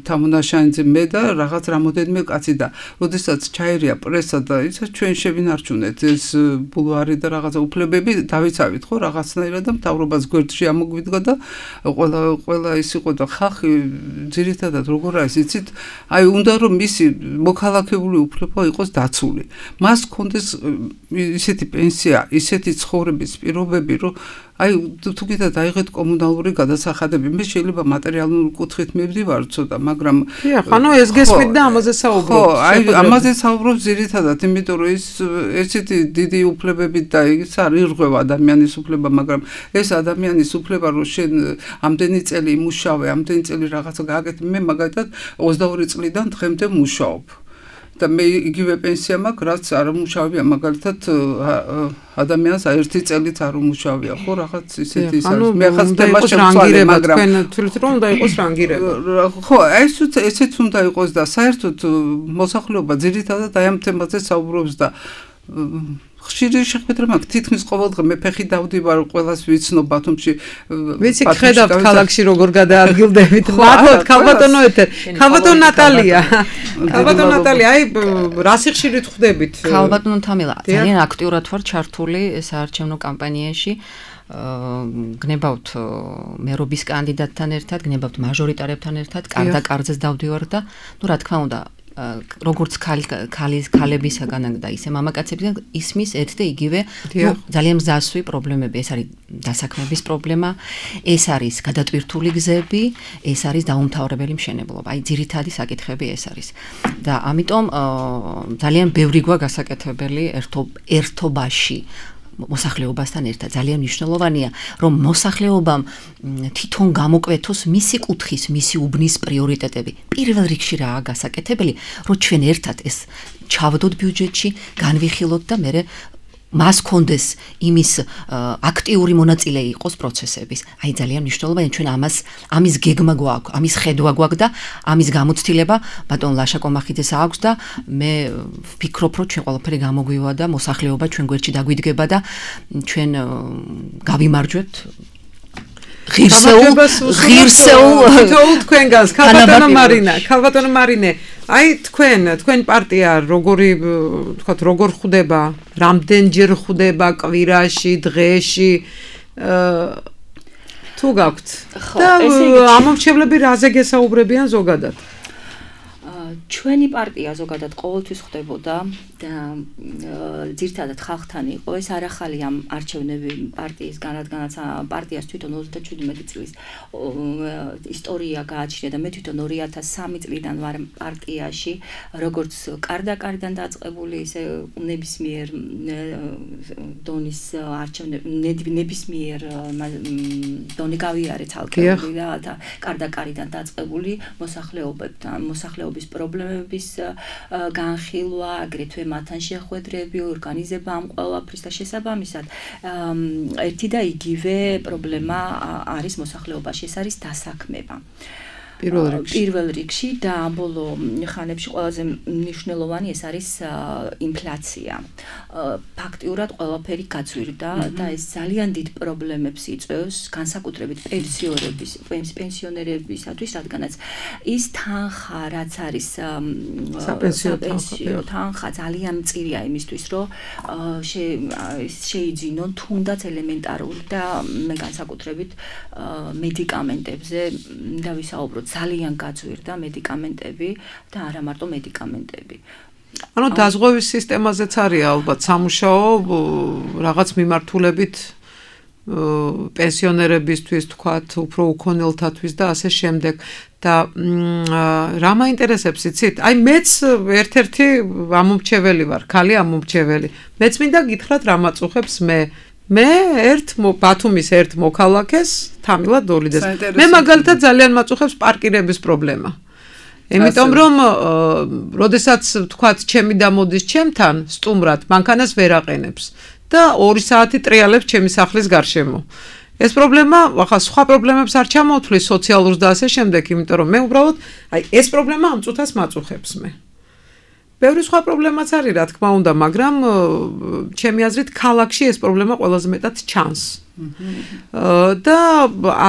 თამონაშანიძე მე და რაღაც რამოდენიმე კაცი და როდესაც ჩაერია პრესა და ისა ჩვენ შევინარჩუნეთ ეს ბულვარი და რაღაცა უფლებები დავიცავით ხო რაღაცნაირად და მთავრობას გვერდში ამოგვიდგა და ყველა ყველა ის იყო და ხალხი ძირითადად როგორ არის იცით აი უნდა რომ მისი მოქალაქეური უფლება იყოს დაცული მას კონდეს ისეთი პენსია ისეთი ცხოვრების პირობები რომ აი თუ კიდე დაიღეთ კომუნალური გადასახადები მე შეიძლება მატერიალური კუთხით მივდივარ ცოტა მაგრამ დიახ ანუ ეს გესმით და ამაზე საუბრობთ ხო აი ამაზე საუბრობ ზირითადად იმიტომ რომ ის ესეთი დიდი უფლებები და ის არის ირღვევა ადამიანის უფლება მაგრამ ეს ადამიანის უფლება რომ შენ ამდენი წელი იმუშავე ამდენი წელი რაღაცა გააკეთე მე მაგალითად ოცდაორი წლიდან დღემდე მუშაობ და მე იგივე პენსია მაქვს რაც არ უმუშავია მაგალითად ადამიანს ერთი წელიც არ უმუშავია ხო რაღაც ისეთი ის არის მე ხას თემა შევცვალე მაგრამ თქვენ თვლით რომ უნდა იყოს რანგირება ხო ეს ესეც უნდა იყოს და საერთოდ მოსახლეობა ძირითადად აი ამ თემაზე საუბრობს და ხშირი შეხვედრა მაქვს თითქმის ყოველდღე მე ფეხი დავდივარ ყველას ვიცნობ ბათუმში ვიცი ხედავთ ქალაქში როგორ გადაადგილდებით მართლაც ქალბატონო ეთერ ქალბატონო ნატალია ქალბატონო ნატალია აი რა სიხშირით ხვდებით ქალბატონო თამილა ძალიან აქტიურად ვარ ჩართული საარჩევნო კამპანიაში გნებავთ მერობის კანდიდატთან ერთად გნებავთ მაჟორიტარებთან ერთად კარდა კარძეს დავდივარ და ნუ რა თქმა უნდა როგორც ქალის ქალებისაგან და ისე მამაკაცებისგან ისმის ერთ და იგივე ძალიან მზასვი პრობლემები ეს არის დასაქმების პრობლემა ეს არის გადატვირთული გზები ეს არის დაუმთავრებელი მშენებლობა აი ძირითადი საკითხები ეს არის და ამიტომ ძალიან ბევრი გვა გასაკეთებელი ერთობაში მოსახლეობასთან ერთად ძალიან მნიშვნელოვანია რომ მოსახლეობამ თვითონ გამოკვეთოს მისი კუთხის მისი უბნის პრიორიტეტები პირველ რიგში რაა გასაკეთებელი რომ ჩვენ ერთად ეს ჩავდოთ ბიუჯეტში განვიხილოთ და მე მას კონდეს იმის აქტიური მონაწილე იყოს პროცესების. აი ძალიან მნიშვნელოვანია ჩვენ ამას ამის გეგმა გვაქვს, ამის ხედვა გვაქვს და ამის გამოცდილება ბატონ ლაშა კომახიძეს აქვს და მე ვფიქრობ რომ ჩვენ ყველაფერი გამოგვივა და მოსახლეობა ჩვენ გვერდში დაგვიდგება და ჩვენ გავიმარჯვებთ ღირსეულ ღირსეულ თითოეულ თქვენგანს ქალბატონო მარინა ქალბატონო მარინე აი თქვენ თქვენ პარტია როგორი თქვათ როგორ ხვდება რამდენჯერ ხვდება კვირაში დღეში თუ გაქვთ და ამომრჩევლები რაზე გესაუბრებიან ზოგადად ჩვენი პარტია ზოგადად ყოველთვის ხდებოდა და ძირთადად ხალხთან იყო ეს არ ახალი ამ არჩევნები პარტიისგან, რადგანაც პარტიას თვითონ ოცდაჩვიდმეტი წლის ისტორია გააჩნია და მე თვითონ ორი ათას სამი წლიდან ვარ პარტიაში, როგორც კარდაკარიდან დაწყებული, ისე ნებისმიერ დონის არჩევნები ნებისმიერ დონე გავიარე ცალკეული და კარდაკარიდან დაწყებული მოსახლეობებთან, მოსახლეობის პრობლემების განხილვა, აგრეთვე მათთან შეხვედრები, ორგანიზება ამ ყველაფრის და შესაბამისად ერთი და იგივე პრობლემა არის მოსახლეობაში, ეს არის დასაქმება. პირველ რიგში პირველ რიგში და ბოლო ხანებში ყველაზე მნიშვნელოვანი ეს არის ინფლაცია. ფაქტიურად ყველაფერი გაძვირდა და ეს ძალიან დიდ პრობლემებს იწვევს, განსაკუთრებით პენსიონერების, პენსიონერებისათვის, რადგანაც ის თანხა, რაც არის საპენსიო თანხა, ძალიან მწირია იმისთვის, რომ შეიძინონ თუნდაც ელემენტარული და მე განსაკუთრებით მედიკამენტებზე და ვისაუბროთ ძალიან გაძვირდა მედიკამენტები და არა მარტო მედიკამენტები. ანუ დაზღვევის სისტემაზეც არის ალბათ სამუშაო რაღაც მიმართულებით პენსიონერებისთვის, თქვათ, უფრო უქონელთათვის და ასე შემდეგ. და რა მაინტერესებს იცით? აი მეც ერთ-ერთი ამომრჩეველი ვარ, ქალი ამომრჩეველი. მეც მინდა გითხრათ რა მაწუხებს მე მე ერთ ბათუმის ერთ მოქალაქეს თამილა დოლიძეს. მე მაგალითად ძალიან მაწუხებს პარკირების პრობლემა. იმიტომ რომ როდესაც თქვათ ჩემი დამოდის ჩემთან სტუმრად, მანქანას ვერ აყენებს და ორი საათი ტრიალებს ჩემი სახლის გარშემო. ეს პრობლემა, ახლა სხვა პრობლემებს არ ჩამოვთვლის სოციალურს და ასე შემდეგ, იმიტომ რომ მე უბრალოდ აი ეს პრობლემა ამ წუთას მაწუხებს მე. ბევრი სხვა პრობლემაც არის, რა თქმა უნდა, მაგრამ ჩემი აზრით ქალაქში ეს პრობლემა ყველაზე მეტად ჩანს. და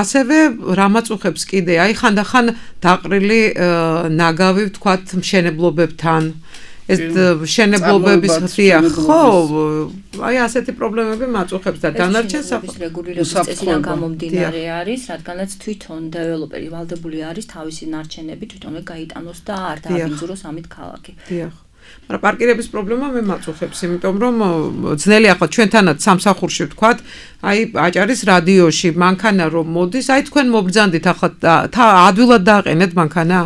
ასევე რა მაწუხებს კიდე, აი ხანდახან დაყრილი ნაგავი, ვთქვათ, მშენებლობებთან, ეს მშენებლობების ღია, ხო, აი ასეთი პრობლემები მაწუხებს და დანარჩენ რეგულირების წესიდან გამომდინარე არის, რადგანაც თვითონ დეველოპერი ვალდებული არის თავისი ნარჩენები თვითონვე გაიტანოს და არ დააბინძუროს ამით ქალაქი. დიახ. მაგრამ პარკირების პრობლემა მე მაწუხებს, იმიტომ რომ ძნელი ახლა ჩვენთანაც სამსახურში ვთქვათ, აი აჭარის რადიოში მანქანა რომ მოდის, აი თქვენ მობრძანდით ახლა ადვილად დააყენეთ მანქანა?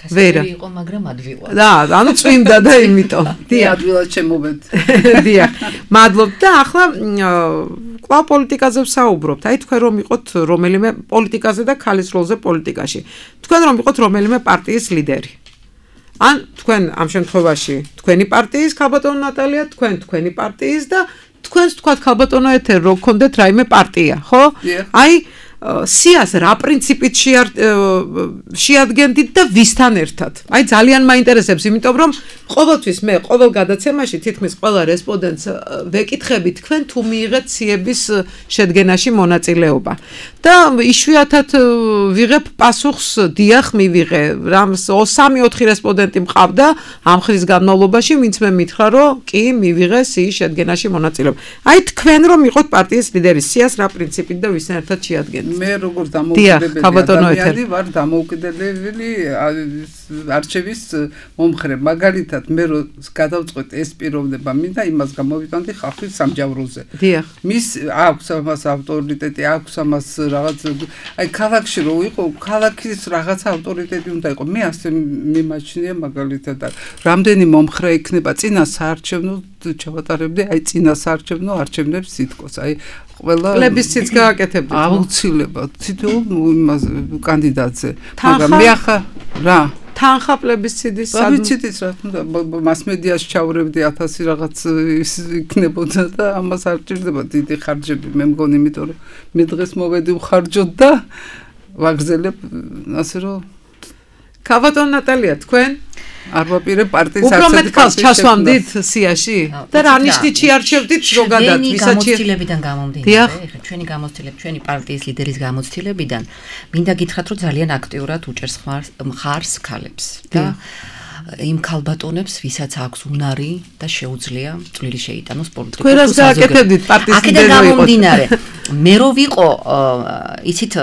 ვერა იყო, მაგრამ ადვილად. და, ანუ წვიმდა და იმიტომ. დიახ, ადვილად შემოვედ. დიახ. მადლობთ და ახლა კვლავ პოლიტიკაზე ვსაუბრობთ. აი თქვენ რომ იყოთ რომელიმე პოლიტიკაზე და ქალის როლზე პოლიტიკაში. თქვენ რომ იყოთ რომელიმე პარტიის ლიდერი. ან თქვენ ამ შემთხვევაში თქვენი პარტიის ქალბატონო ნატალია, თქვენ თქვენი პარტიის და თქვენს თქვათ ქალბატონო ეთერ რო გქონდეთ რაიმე პარტია, ხო? აი სიას რა პრინციპით შეადგენდით და ვისთან ერთად? აი ძალიან მაინტერესებს, იმიტომ რომ ყოველთვის მე ყოველ გადაცემაში თითქმის ყველა რესპონდენტს ვეკითხები თქვენ თუ მიიღეთ სიების შედგენაში მონაწილეობა. და იშვიათად ვიღებ პასუხს დიახ მივიღე. რამ სამი ოთხი რესპონდენტი მყავდა ამ ხრის განმავლობაში, ვინც მე მითხრა რომ კი მივიღე სიის შედგენაში მონაწილეობა. აი თქვენ რომ იყოთ პარტიის ლიდერი, სიას რა პრინციპით და ვისთან ერთად შეადგენთ? მე როგორც დამოუკიდებელი ადამიანი ვარ დამოუკიდებელი არჩევის მომხრე. მაგალითად მე რო გადავწყვეტ ეს პიროვნება, მინდა იმას გამოვიტანდი ხალხის სამჯავროზე. დიახ. მის აქვს ამას ავტორიტეტი, აქვს ამას რაღაც აი ქალაქში რო იყო, ქალაქის რაღაც ავტორიტეტი უნდა იყო. მე ასე მიმაჩნია მაგალითად რამდენი მომხრე იქნება წინა საარჩევნო ჩავატარებდი, აი წინა საარჩევნო არჩევნებს სიტყვას. აი ყველა პლებისციტს გააკეთებდით. აუცილებლად თითოეულ იმას კანდიდატზე. მაგრამ მე ახლა რა თანხა პლებისციტის პლებისციტის რა თქმა უნდა მასმედიაში ჩავრევდი ათასი რაღაც იქნებოდა და ამას არ ჭირდება დიდი ხარჯები მე მგონი, იმიტომ რომ მე დღეს მოვედი ვხარჯოთ და ვაგრძელებ ასე რომ ქალბატონო ნატალია თქვენ არ ვაპირებ პარტიის არცერთი უფრო მეტ ქალს ჩასვამდით სიაში და რა ნიშნით შეარჩევდით ზოგადად ვისაც გამოცდილებიდან გამომდინარე, ეხლა ჩვენი გამოცდილება, ჩვენი პარტიის ლიდერის გამოცდილებიდან მინდა გითხრათ, რომ ძალიან აქტიურად უჭერს მხარს ქალებს და იმ ქალბატონებს, ვისაც აქვს უნარი და შეუძლია წვლილი შეიტანოს პოლიტიკურ სფეროს. თქვენ რას გააკეთებდით პარტიის ლიდერი აქედან გამომდინარე, მე რო ვიყო, იცით,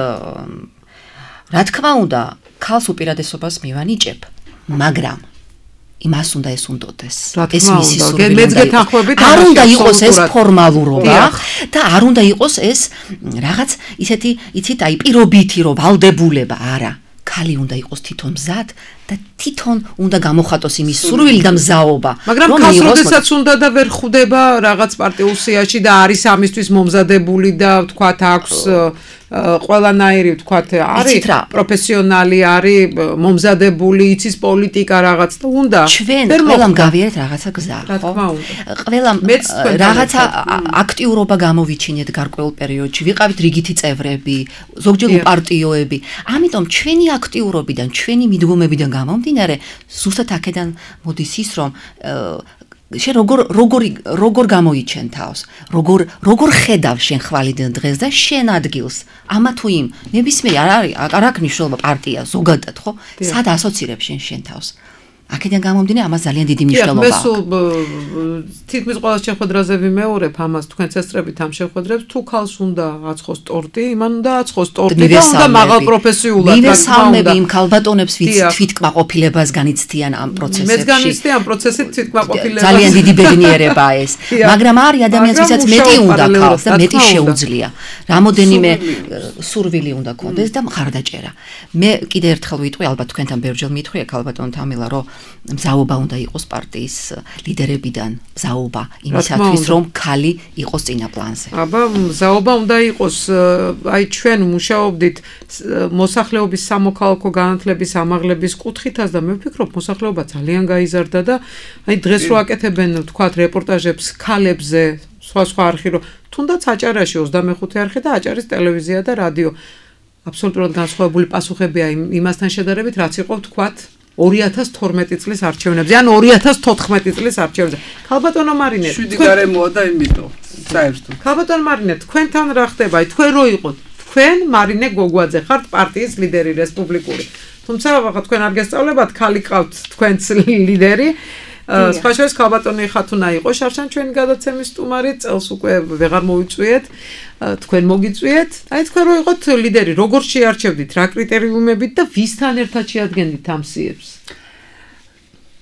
რა თქმა უნდა, ქალს უპირატესობას მივანიჭებ. მაგრამ იმას უნდა ეს უნდოდეს. ეს მისი სურვილი არ უნდა იყოს ეს ფორმალურობა და არ უნდა იყოს ეს რაღაც ისეთი, იცით, აი პირობითი რომ ვალდებულება, არა. ქალი უნდა იყოს თვითონ მზად და თვითონ უნდა გამოხატოს იმის სურვილი და მზაობა. მაგრამ ქალს როდესაც უნდა და ვერ ხვდება რაღაც პარტიულ სიაში და არის ამისთვის მომზადებული და ვთქვათ აქვს ყველანაირი ვთქვათ არის პროფესიონალი, არის მომზადებული, იცის პოლიტიკა რაღაც და უნდა ჩვენ ყველამ გავიარეთ რაღაცა გზა, ხო? ყველამ რაღაცა აქტიურობა გამოვიჩინეთ გარკვეულ პერიოდში, ვიყავით რიგითი წევრები, ზოგჯერ უპარტიოები. ამიტომ ჩვენი აქტიურობიდან, ჩვენი მიდგომებიდან გამომდინარე, ზუსტად აქედან მოდის ის, რომ შენ როგორ როგორ როგორ გამოიჩენ თავს, როგორ როგორ ხედავ შენ ხვალიდან დღეს და შენ ადგილს, ამა თუ იმ, ნებისმიერ არ არის, არ აქვს მნიშვნელობა პარტია ზოგადად, ხო? სად ასოცირებ შენ შენ თავს? აქედან გამომდინარე, ამას ძალიან დიდი მნიშვნელობა აქვს. მე თითქმის ყველა შეხვედრაზე ვიმეორებ ამას, თქვენ წესწრებით ამ შეხვედრებს, თუ ქალს უნდა აცხოს ტორტი, იმან უნდა აცხოს ტორტი და უნდა მაღალ პროფესიულად მივესალმები იმ ქალბატონებს, ვინც თვითკმაყოფილებას განიცდიან ამ პროცესებში. მეც განიცდი ამ პროცესით თვითკმაყოფილებას. ძალიან დიდი ბედნიერებაა ეს. მაგრამ არის ადამიანს, ვისაც მეტი უნდა ქალს და მეტი შეუძლია. რამოდენიმე სურვილი უნდა ქონდეს და მხარდაჭერა. მე კიდე ერთხელ ვიტყვი, ალბათ თქვენთან ბევრჯერ მითხრია ქალბატონ თამილა, რომ მზაობა უნდა იყოს პარტიის ლიდერებიდან, მზაობა იმისათვის, რომ ქალი იყოს წინა პლანზე. აბა, მზაობა უნდა იყოს, აი ჩვენ მუშაობდით მოსახლეობის სამოქალაქო განათლების ამაღლების კუთხითაც და მე ვფიქრობ, მოსახლეობა ძალიან გაიზარდა და აი დღეს რო აკეთებენ, ვთქვათ, რეპორტაჟებს ქალებზე, სხვა სხვა არხი რო, თუნდაც აჭარაში ოცდამეხუთე არხი და აჭარის ტელევიზია და რადიო. აბსოლუტურად განსხვავებული პასუხებია იმასთან შედარებით, რაც იყო, ვთქვათ, ორი ათას თორმეტი წლის არჩევნებზე, ან ორი ათას თოთხმეტი წლის არჩევნებზე. ქალბატონო მარინე, შვიდი გარემოა და იმიტომ, საერთოდ. ქალბატონო მარინე, თქვენთან რა ხდება? თქვენ რო იყოთ, თქვენ მარინე გოგვაძე ხართ პარტიის ლიდერი რესპუბლიკური. თუმცა ახლა თქვენ არ გესწავლებათ, ქალი ყავთ თქვენც ლიდერი. სხვა შორის ქალბატონი ხათუნა იყო შარშან ჩვენი გადაცემის სტუმარი, წელს უკვე ვეღარ მოვიწვიეთ, თქვენ მოგიწვიეთ. აი თქვენ რო იყოთ ლიდერი, როგორ შეარჩევდით, რა კრიტერიუმებით და ვისთან ერთად შეადგენდით ამ სიებს?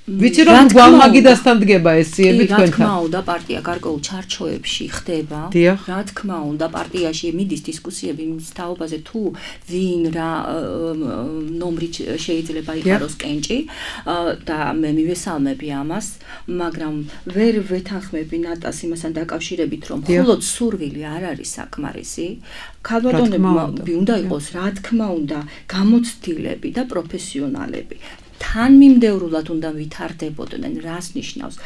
ვიცი რომ გვალმაგიდასთან დგება ეს სიები თქვენთან. რა თქმა უნდა, პარტია გარკვეულ ჩარჩოებში ხდება. რა თქმა უნდა, პარტიაში მიდის დისკუსიები იმ თაობაზე, თუ ვინ რა ნომრით შეიძლება იყაროს კენჭი და მე მივესალმები ამას, მაგრამ ვერ ვეთანხმები ნატას იმასთან დაკავშირებით, რომ მხოლოდ სურვილი არ არის საკმარისი. ქალბატონები უნდა იყოს, რა თქმა უნდა, გამოცდილები და პროფესიონალები. თანმიმდევრულად უნდა ვითარდებოდნენ, რას ნიშნავს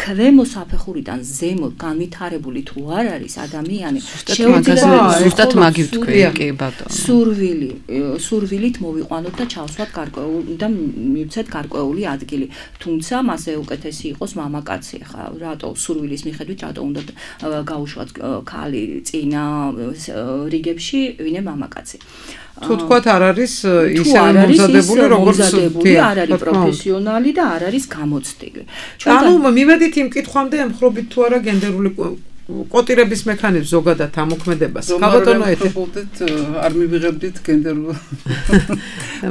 ქვემო საფეხურიდან ზემო განვითარებული თუ არ არის ადამიანი, შეუძლია ზუსტად მაგივ თქვენ, კი ბატონო. სურვილი, სურვილით მოვიყვანოთ და ჩავსვათ გარკვეულ და მივცეთ გარკვეული ადგილი. თუმცა მასე უკეთესი იყოს მამაკაცი, ხა, რატო სურვილის მიხედვით რატო უნდა გაუშვათ ქალი წინა რიგებში, ვინე მამაკაცი. თუ თქვათ არ არის ისე მომზადებული, როგორც არ არის პროფესიონალი და არ არის გამოცდილი. ანუ მივედით იმ კითხვამდე, ემხრობით თუ არა გენდერული კოტირების მექანიზმს ზოგადად ამოქმედებას. ქალბატონო ეთებოდეთ, არ მივიღებდით გენდერულ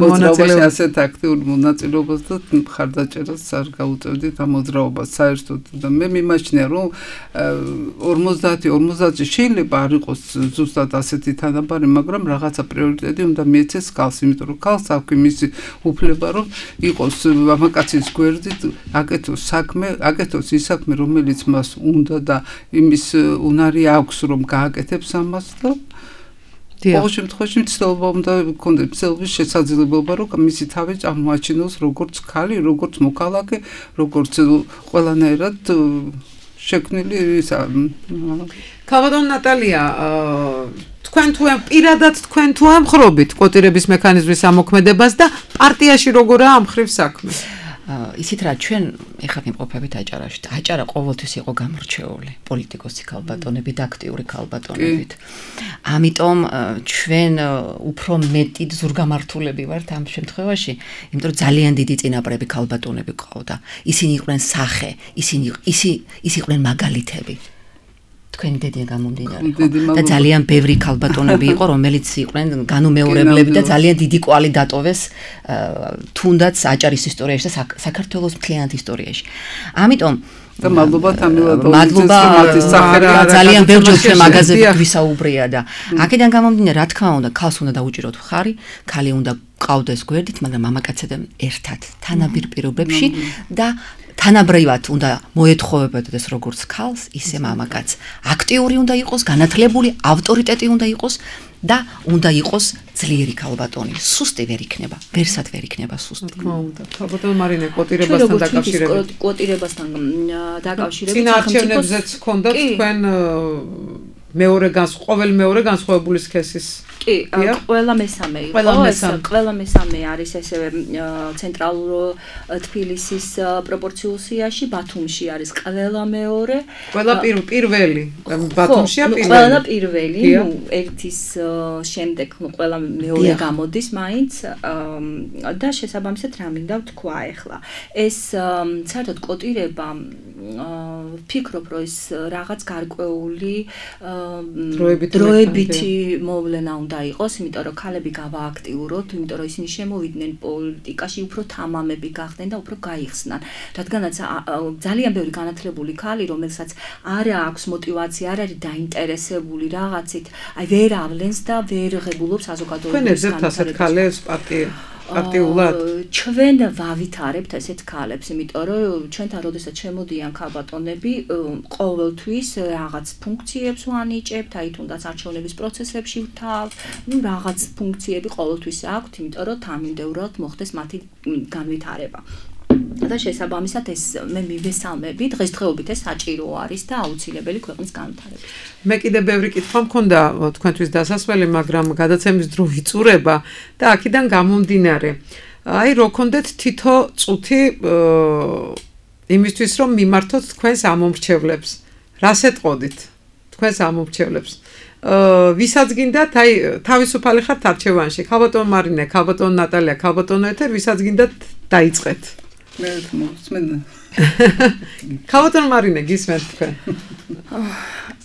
მოძრაობაში ასეთ აქტიურ მონაწილეობას და მხარდაჭერას არ გაუწევდით ამ მოძრაობას საერთოდ. და მე მიმაჩნია, რომ ორმოცდაათი ორმოცდაათი შეიძლება არ იყოს ზუსტად ასეთი თანაბარი, მაგრამ რაღაცა პრიორიტეტი უნდა მიეცეს ქალს, იმიტომ რომ ქალს აქვს მისი უფლება, რომ იყოს მამაკაცის გვერდით, აკეთოს საქმე, აკეთოს ის საქმე, რომელიც მას უნდა და იმის უნარი აქვს, რომ გააკეთებს ამას და ყოველ შემთხვევაში მცდელობა უნდა გქონდეს, მცდელობის შესაძლებლობა, რომ მისი თავი წარმოაჩინოს როგორც ქალი, როგორც მოქალაქე, როგორც ყველანაირად შექმნილი ისა. ქალბატონო ნატალია, თქვენ თუ პირადად თქვენ თუ ამხრობით კოტირების მექანიზმის ამოქმედებას და პარტიაში როგორაა ამ ხრივ საქმე? ისიც რა ჩვენ ეხლა ვიმყოფებით აჭარაში. აჭარა ყოველთვის იყო გამორჩეული პოლიტიკოსი ქალბატონებით, აქტიური ქალბატონებით. ამიტომ ჩვენ უფრო მეტი ზურგამართულები ვართ ამ შემთხვევაში, იმიტომ რომ ძალიან დიდი წინაპრები ქალბატონები ყავდა. ისინი იყვნენ სახე, ისინი ისი ის იყვნენ მაგალითები. თქვენი დედიან გამომდინარე და ძალიან ბევრი ქალბატონები იყო რომელიც იყვნენ განუმეორებლები და ძალიან დიდი კვალი დატოვეს თუნდაც აჭარის ისტორიაში და საქართველოს მთლიანად ისტორიაში. ამიტომ და მადლობა თამილა მადლობა ძალიან ბევრჯერ ჩვენ მაგაზები გვისაუბრია და აქედან გამომდინარე რა თქმა უნდა ქალს უნდა დაუჭიროთ მხარი, ქალი უნდა ყავდეს გვერდით, მაგრამ მამაკაცებთან ერთად თანაბარ პირობებში და თანაბრად უნდა მოეთხოვებოდეს ეს როგორც ქალს, ისე მამაკაცს. აქტიური უნდა იყოს, განათლებული, ავტორიტეტი უნდა იყოს და უნდა იყოს ძლიერი ქალბატონი. სუსტი ვერ იქნება, ვერსად ვერ იქნება სუსტი. თქმა უნდა. ქალბატონ მარინე კვოტირებასთან დაკავშირებით. კვოტირებასთან დაკავშირებით. წინა არჩევნებზეც ჰქონდათ თქვენ მეორე განს ყოველ მეორე განსხვავებული სქესის კი, ყველა მესამე იყო. ყველა მესამე არის ესევე ცენტრალურ თბილისის პროპორციულ სიაში, ბათუმში არის ყველა მეორე. ყველა პირველი, ბათუმშია პირველი. ყველა პირველი, ნუ ერთის შემდეგ, ნუ ყველა მეორე გამოდის მაინც და შესაბამისად რა მინდა ვთქვა ახლა. ეს საერთოდ კვოტირება ფიქრობ, რომ ეს რაღაც გარკვეული დროებითი მოვლენა უნდა იყოს, იმიტომ რომ ქალები გავააქტიუროთ, იმიტომ რომ ისინი შემოვიდნენ პოლიტიკაში, უფრო თამამები გახდნენ და უფრო გაიხსნან. რადგანაც ძალიან ბევრი განათლებული ქალი, რომელსაც არ აქვს мотиваცია, არ არის დაინტერესებული რაღაცით, აი ვერ ავლენს და ვერ ღებულობს საზოგადოების განვითარებას. თქვენ ეძებთ ასეთ ქალებს პარტია აქტიულად ჩვენ ვავითარებთ ესეთ ქალებს, იმიტომ რომ ჩვენთან როდესაც შემოდიან ქალბატონები, ყოველთვის რაღაც ფუნქციებს ვანიჭებთ, აი თუნდაც არჩევნების პროცესებში ვთავ, ну რაღაც ფუნქციები ყოველთვის აქვთ, იმიტომ რომ თანმიმდევრულად მოხდეს მათი განვითარება. და შესაბამისად ეს მე მივესალმები, დღესდღეობით ეს საჭირო არის და აუცილებელი ქვეყნის განვითარება. მე კიდე ბევრი კითხვა მქონდა თქვენთვის დასასველი, მაგრამ გადაცემის დრო იწურება და აქედან გამომდინარე. აი რო გქონდეთ თითო წუთი იმისთვის რომ მიმართოთ თქვენს ამომრჩევლებს. რას ეტყოდით თქვენს ამომრჩევლებს? ვისაც გინდათ, აი თავისუფალი ხართ არჩევანში. ქალბატონ მარინე, ქალბატონ ნატალია, ქალბატონ ეთერ, ვისაც გინდათ დაიწყეთ. მე მოსმენ. ქალბატონ მარინე, გისმენთ თქვენ.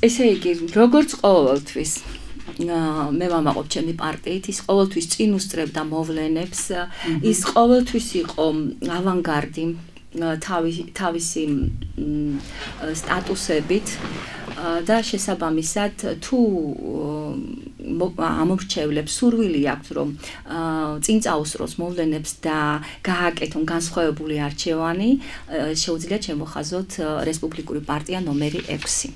ესე იგი, როგორც ყოველთვის მე ვამაყობ ჩემი პარტიით, ის ყოველთვის წინ უსწრებდა მოვლენებს, ის ყოველთვის იყო ავანგარდი თავისი სტატუსებით და შესაბამისად თუ ამორჩევლებს სურვილი აქვს რომ წინ წაუსწროს მოვლენებს და გააკეთონ განსხვავებული არჩევანი, შეუძლიათ შემოხაზოთ რესპუბლიკური პარტია ნომერი ექვსი.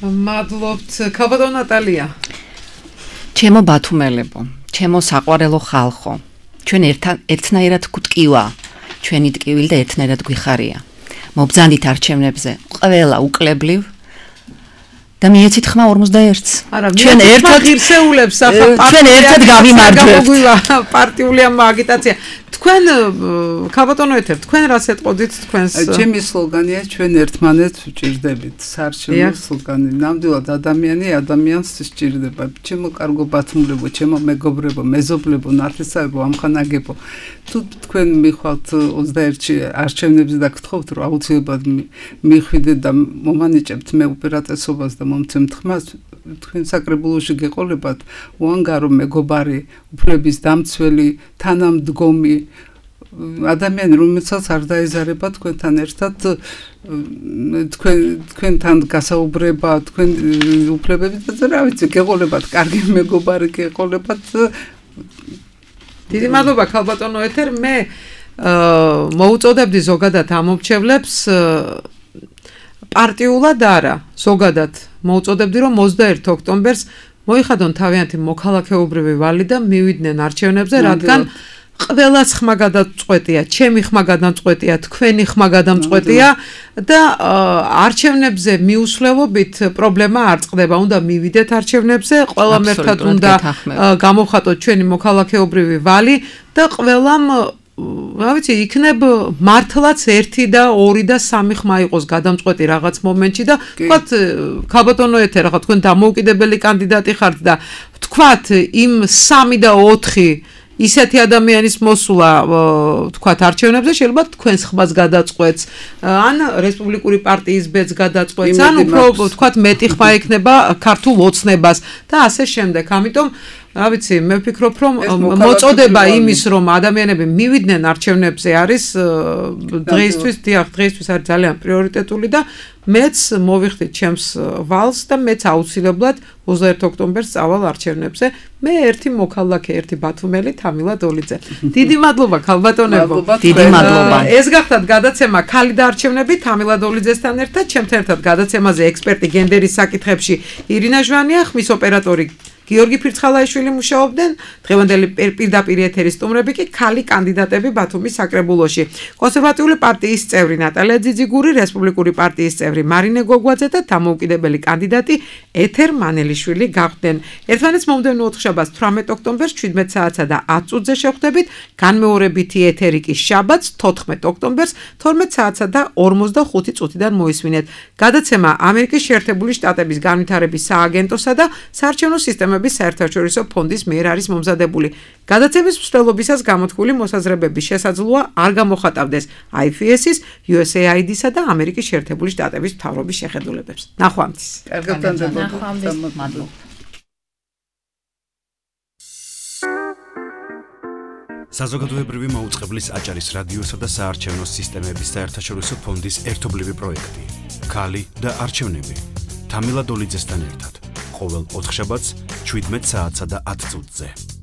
მადლობთ, ქალბატონ ნატალია. ჩემო ბათუმელებო, ჩემო საყვარელო ხალხო, ჩვენ ერთნაირად გვტკივა, ჩვენი ტკივილი და ერთნაირად გვიხარია. მობრძანდით არჩევნებზე, ყველა უკლებლივ და მიეცით ხმა ორმოცდაერთს. ჩვენ ერთად ღირსეულებს ახლა ჩვენ ერთად გავიმარჯვებთ. პარტიული აგიტაცია. თქვენ ქალბატონო ეთერ, თქვენ რას ეტყოდით თქვენს? ჩემი სლოგანია ჩვენ ერთმანეთს ვჭირდებით. საარჩევნო სლოგანი. ნამდვილად ადამიანი ადამიანს სჭირდება. ჩემო კარგო ბათუმლებო, ჩემო მეგობრებო, მეზობლებო, ნათესავებო, ამხანაგებო. თუ თქვენ მიხვალთ ოცდაერთში არჩევნებზე და გთხოვთ რომ აუცილებლად მიხვიდეთ და მომანიჭებთ მე უპირატესობას და მომცემთ ხმას, თქვენ საკრებულოში გეყოლებათ უანგარო მეგობარი, უფლების დამცველი, თანამდგომი ადამიანი, რომელსაც არ დაეზარება თქვენთან ერთად თქვენ თქვენთან გასაუბრება, თქვენ უფლებები და რა ვიცი, გეყოლებათ კარგი მეგობარი, გეყოლებათ. დიდი მადლობა ქალბატონო ეთერ. მე მოუწოდებდი ზოგადად ამომრჩევლებს პარტიულად არა, ზოგადად მოუწოდებდი რომ ოცდაერთი ოქტომბერს მოიხადონ თავიანთი მოქალაქეობრივი ვალი და მივიდნენ არჩევნებზე, რადგან ყველას ხმა გადაწყვეტია, ჩემი ხმა გადაწყვეტია, თქვენი ხმა გადაწყვეტია და არჩევნებზე მიუსვლელობით პრობლემა არ წყდება. უნდა მივიდეთ არჩევნებზე, ყველამ ერთად უნდა გამოვხატოთ ჩვენი მოქალაქეობრივი ვალი და ყველამ რა ვიცი, იქნებ მართლაც ერთი და ორი და სამი ხმა იყოს გადამწყვეტი რაღაც მომენტში და თქვათ ქალბატონო ეთერ, ახლა თქვენ დამოუკიდებელი კანდიდატი ხართ და თქვათ იმ სამი და ოთხი ისეთი ადამიანის მოსვლა თქვათ არჩევნებზე შეიძლება თქვენს ხმას გადაწყვეტს ან რესპუბლიკური პარტიის ბედს გადაწყვეტს ან უფრო თქვათ მეტი ხმა იქნება ქართულ ოცნებას და ასე შემდეგ. ამიტომ რა ვიცი, მე ვფიქრობ, რომ მოწოდება იმის, რომ ადამიანები მივიდნენ არჩევნებზე არის დღეისთვის, დიახ, დღეისთვის არის ძალიან პრიორიტეტული და მეც მოვიხდით ჩემს ვალს და მეც აუცილებლად ოცდაერთი ოქტომბერს წავალ არჩევნებზე. მე ერთი მოქალაქე, ერთი ბათუმელი თამილა დოლიძე. დიდი მადლობა ქალბატონებო. დიდი მადლობა. ეს გახდათ გადაცემა ქალი და არჩევნები თამილა დოლიძესთან ერთად. ჩემთან ერთად გადაცემაზე ექსპერტი გენდერის საკითხებში ირინა ჟვანია, ხმის ოპერატორი გიორგი ფირცხალაიშვილი მუშაობდნენ. დღევანდელი პირდაპირ ეთერის სტუმრები კი ქალი კანდიდატები ბათუმის საკრებულოში. კონსერვატიული პარტიის წევრი ნატალია ძიძიგური, რესპუბლიკური პარტიის წევრი მარინე გოგვაძე და დამოუკიდებელი კანდიდატი ეთერ მანელიშვილი გახვდნენ. ერთმანეთს მომდევნო ოთხშაბათს თვრამეტ ოქტომბერს შვიდმეტ საათსა და ათ წუთზე შევხვდებით. განმეორებითი ეთერი კი შაბათს თოთხმეტ ოქტომბერს თორმეტ საათსა და ორმოცდახუთი წუთიდან მოისმინეთ. გადაცემა ამერიკის შეერთებული შტატების განვითარების სააგენტოსა და საარჩევნო სისტემების საერთაშორისო ფონდის მიერ არის მომზადებული. გადაცემის მსვლელობისას გამოთქმული მოსაზრებების შესაძლოა არ გამოხატავდეს აი ეფ ეს-ის, იუ ეს έი აი დი-სა და ამერიკის შეერთებული შტატების მთავრობის შეხედულებებს. ნახვამდის. ნახვამდის. მადლობა. საზოგადოებრივი მაუწყებლის აჭარის რადიოსა და საარჩევნო სისტემების საერთაშორისო ფონდის ერთობლივი პროექტი. ქალი და არჩევნები. თამილა დოლიძესთან ერთად. ყოველ ოთხშაბათს შვიდმეტ საათსა და ათ წუთზე.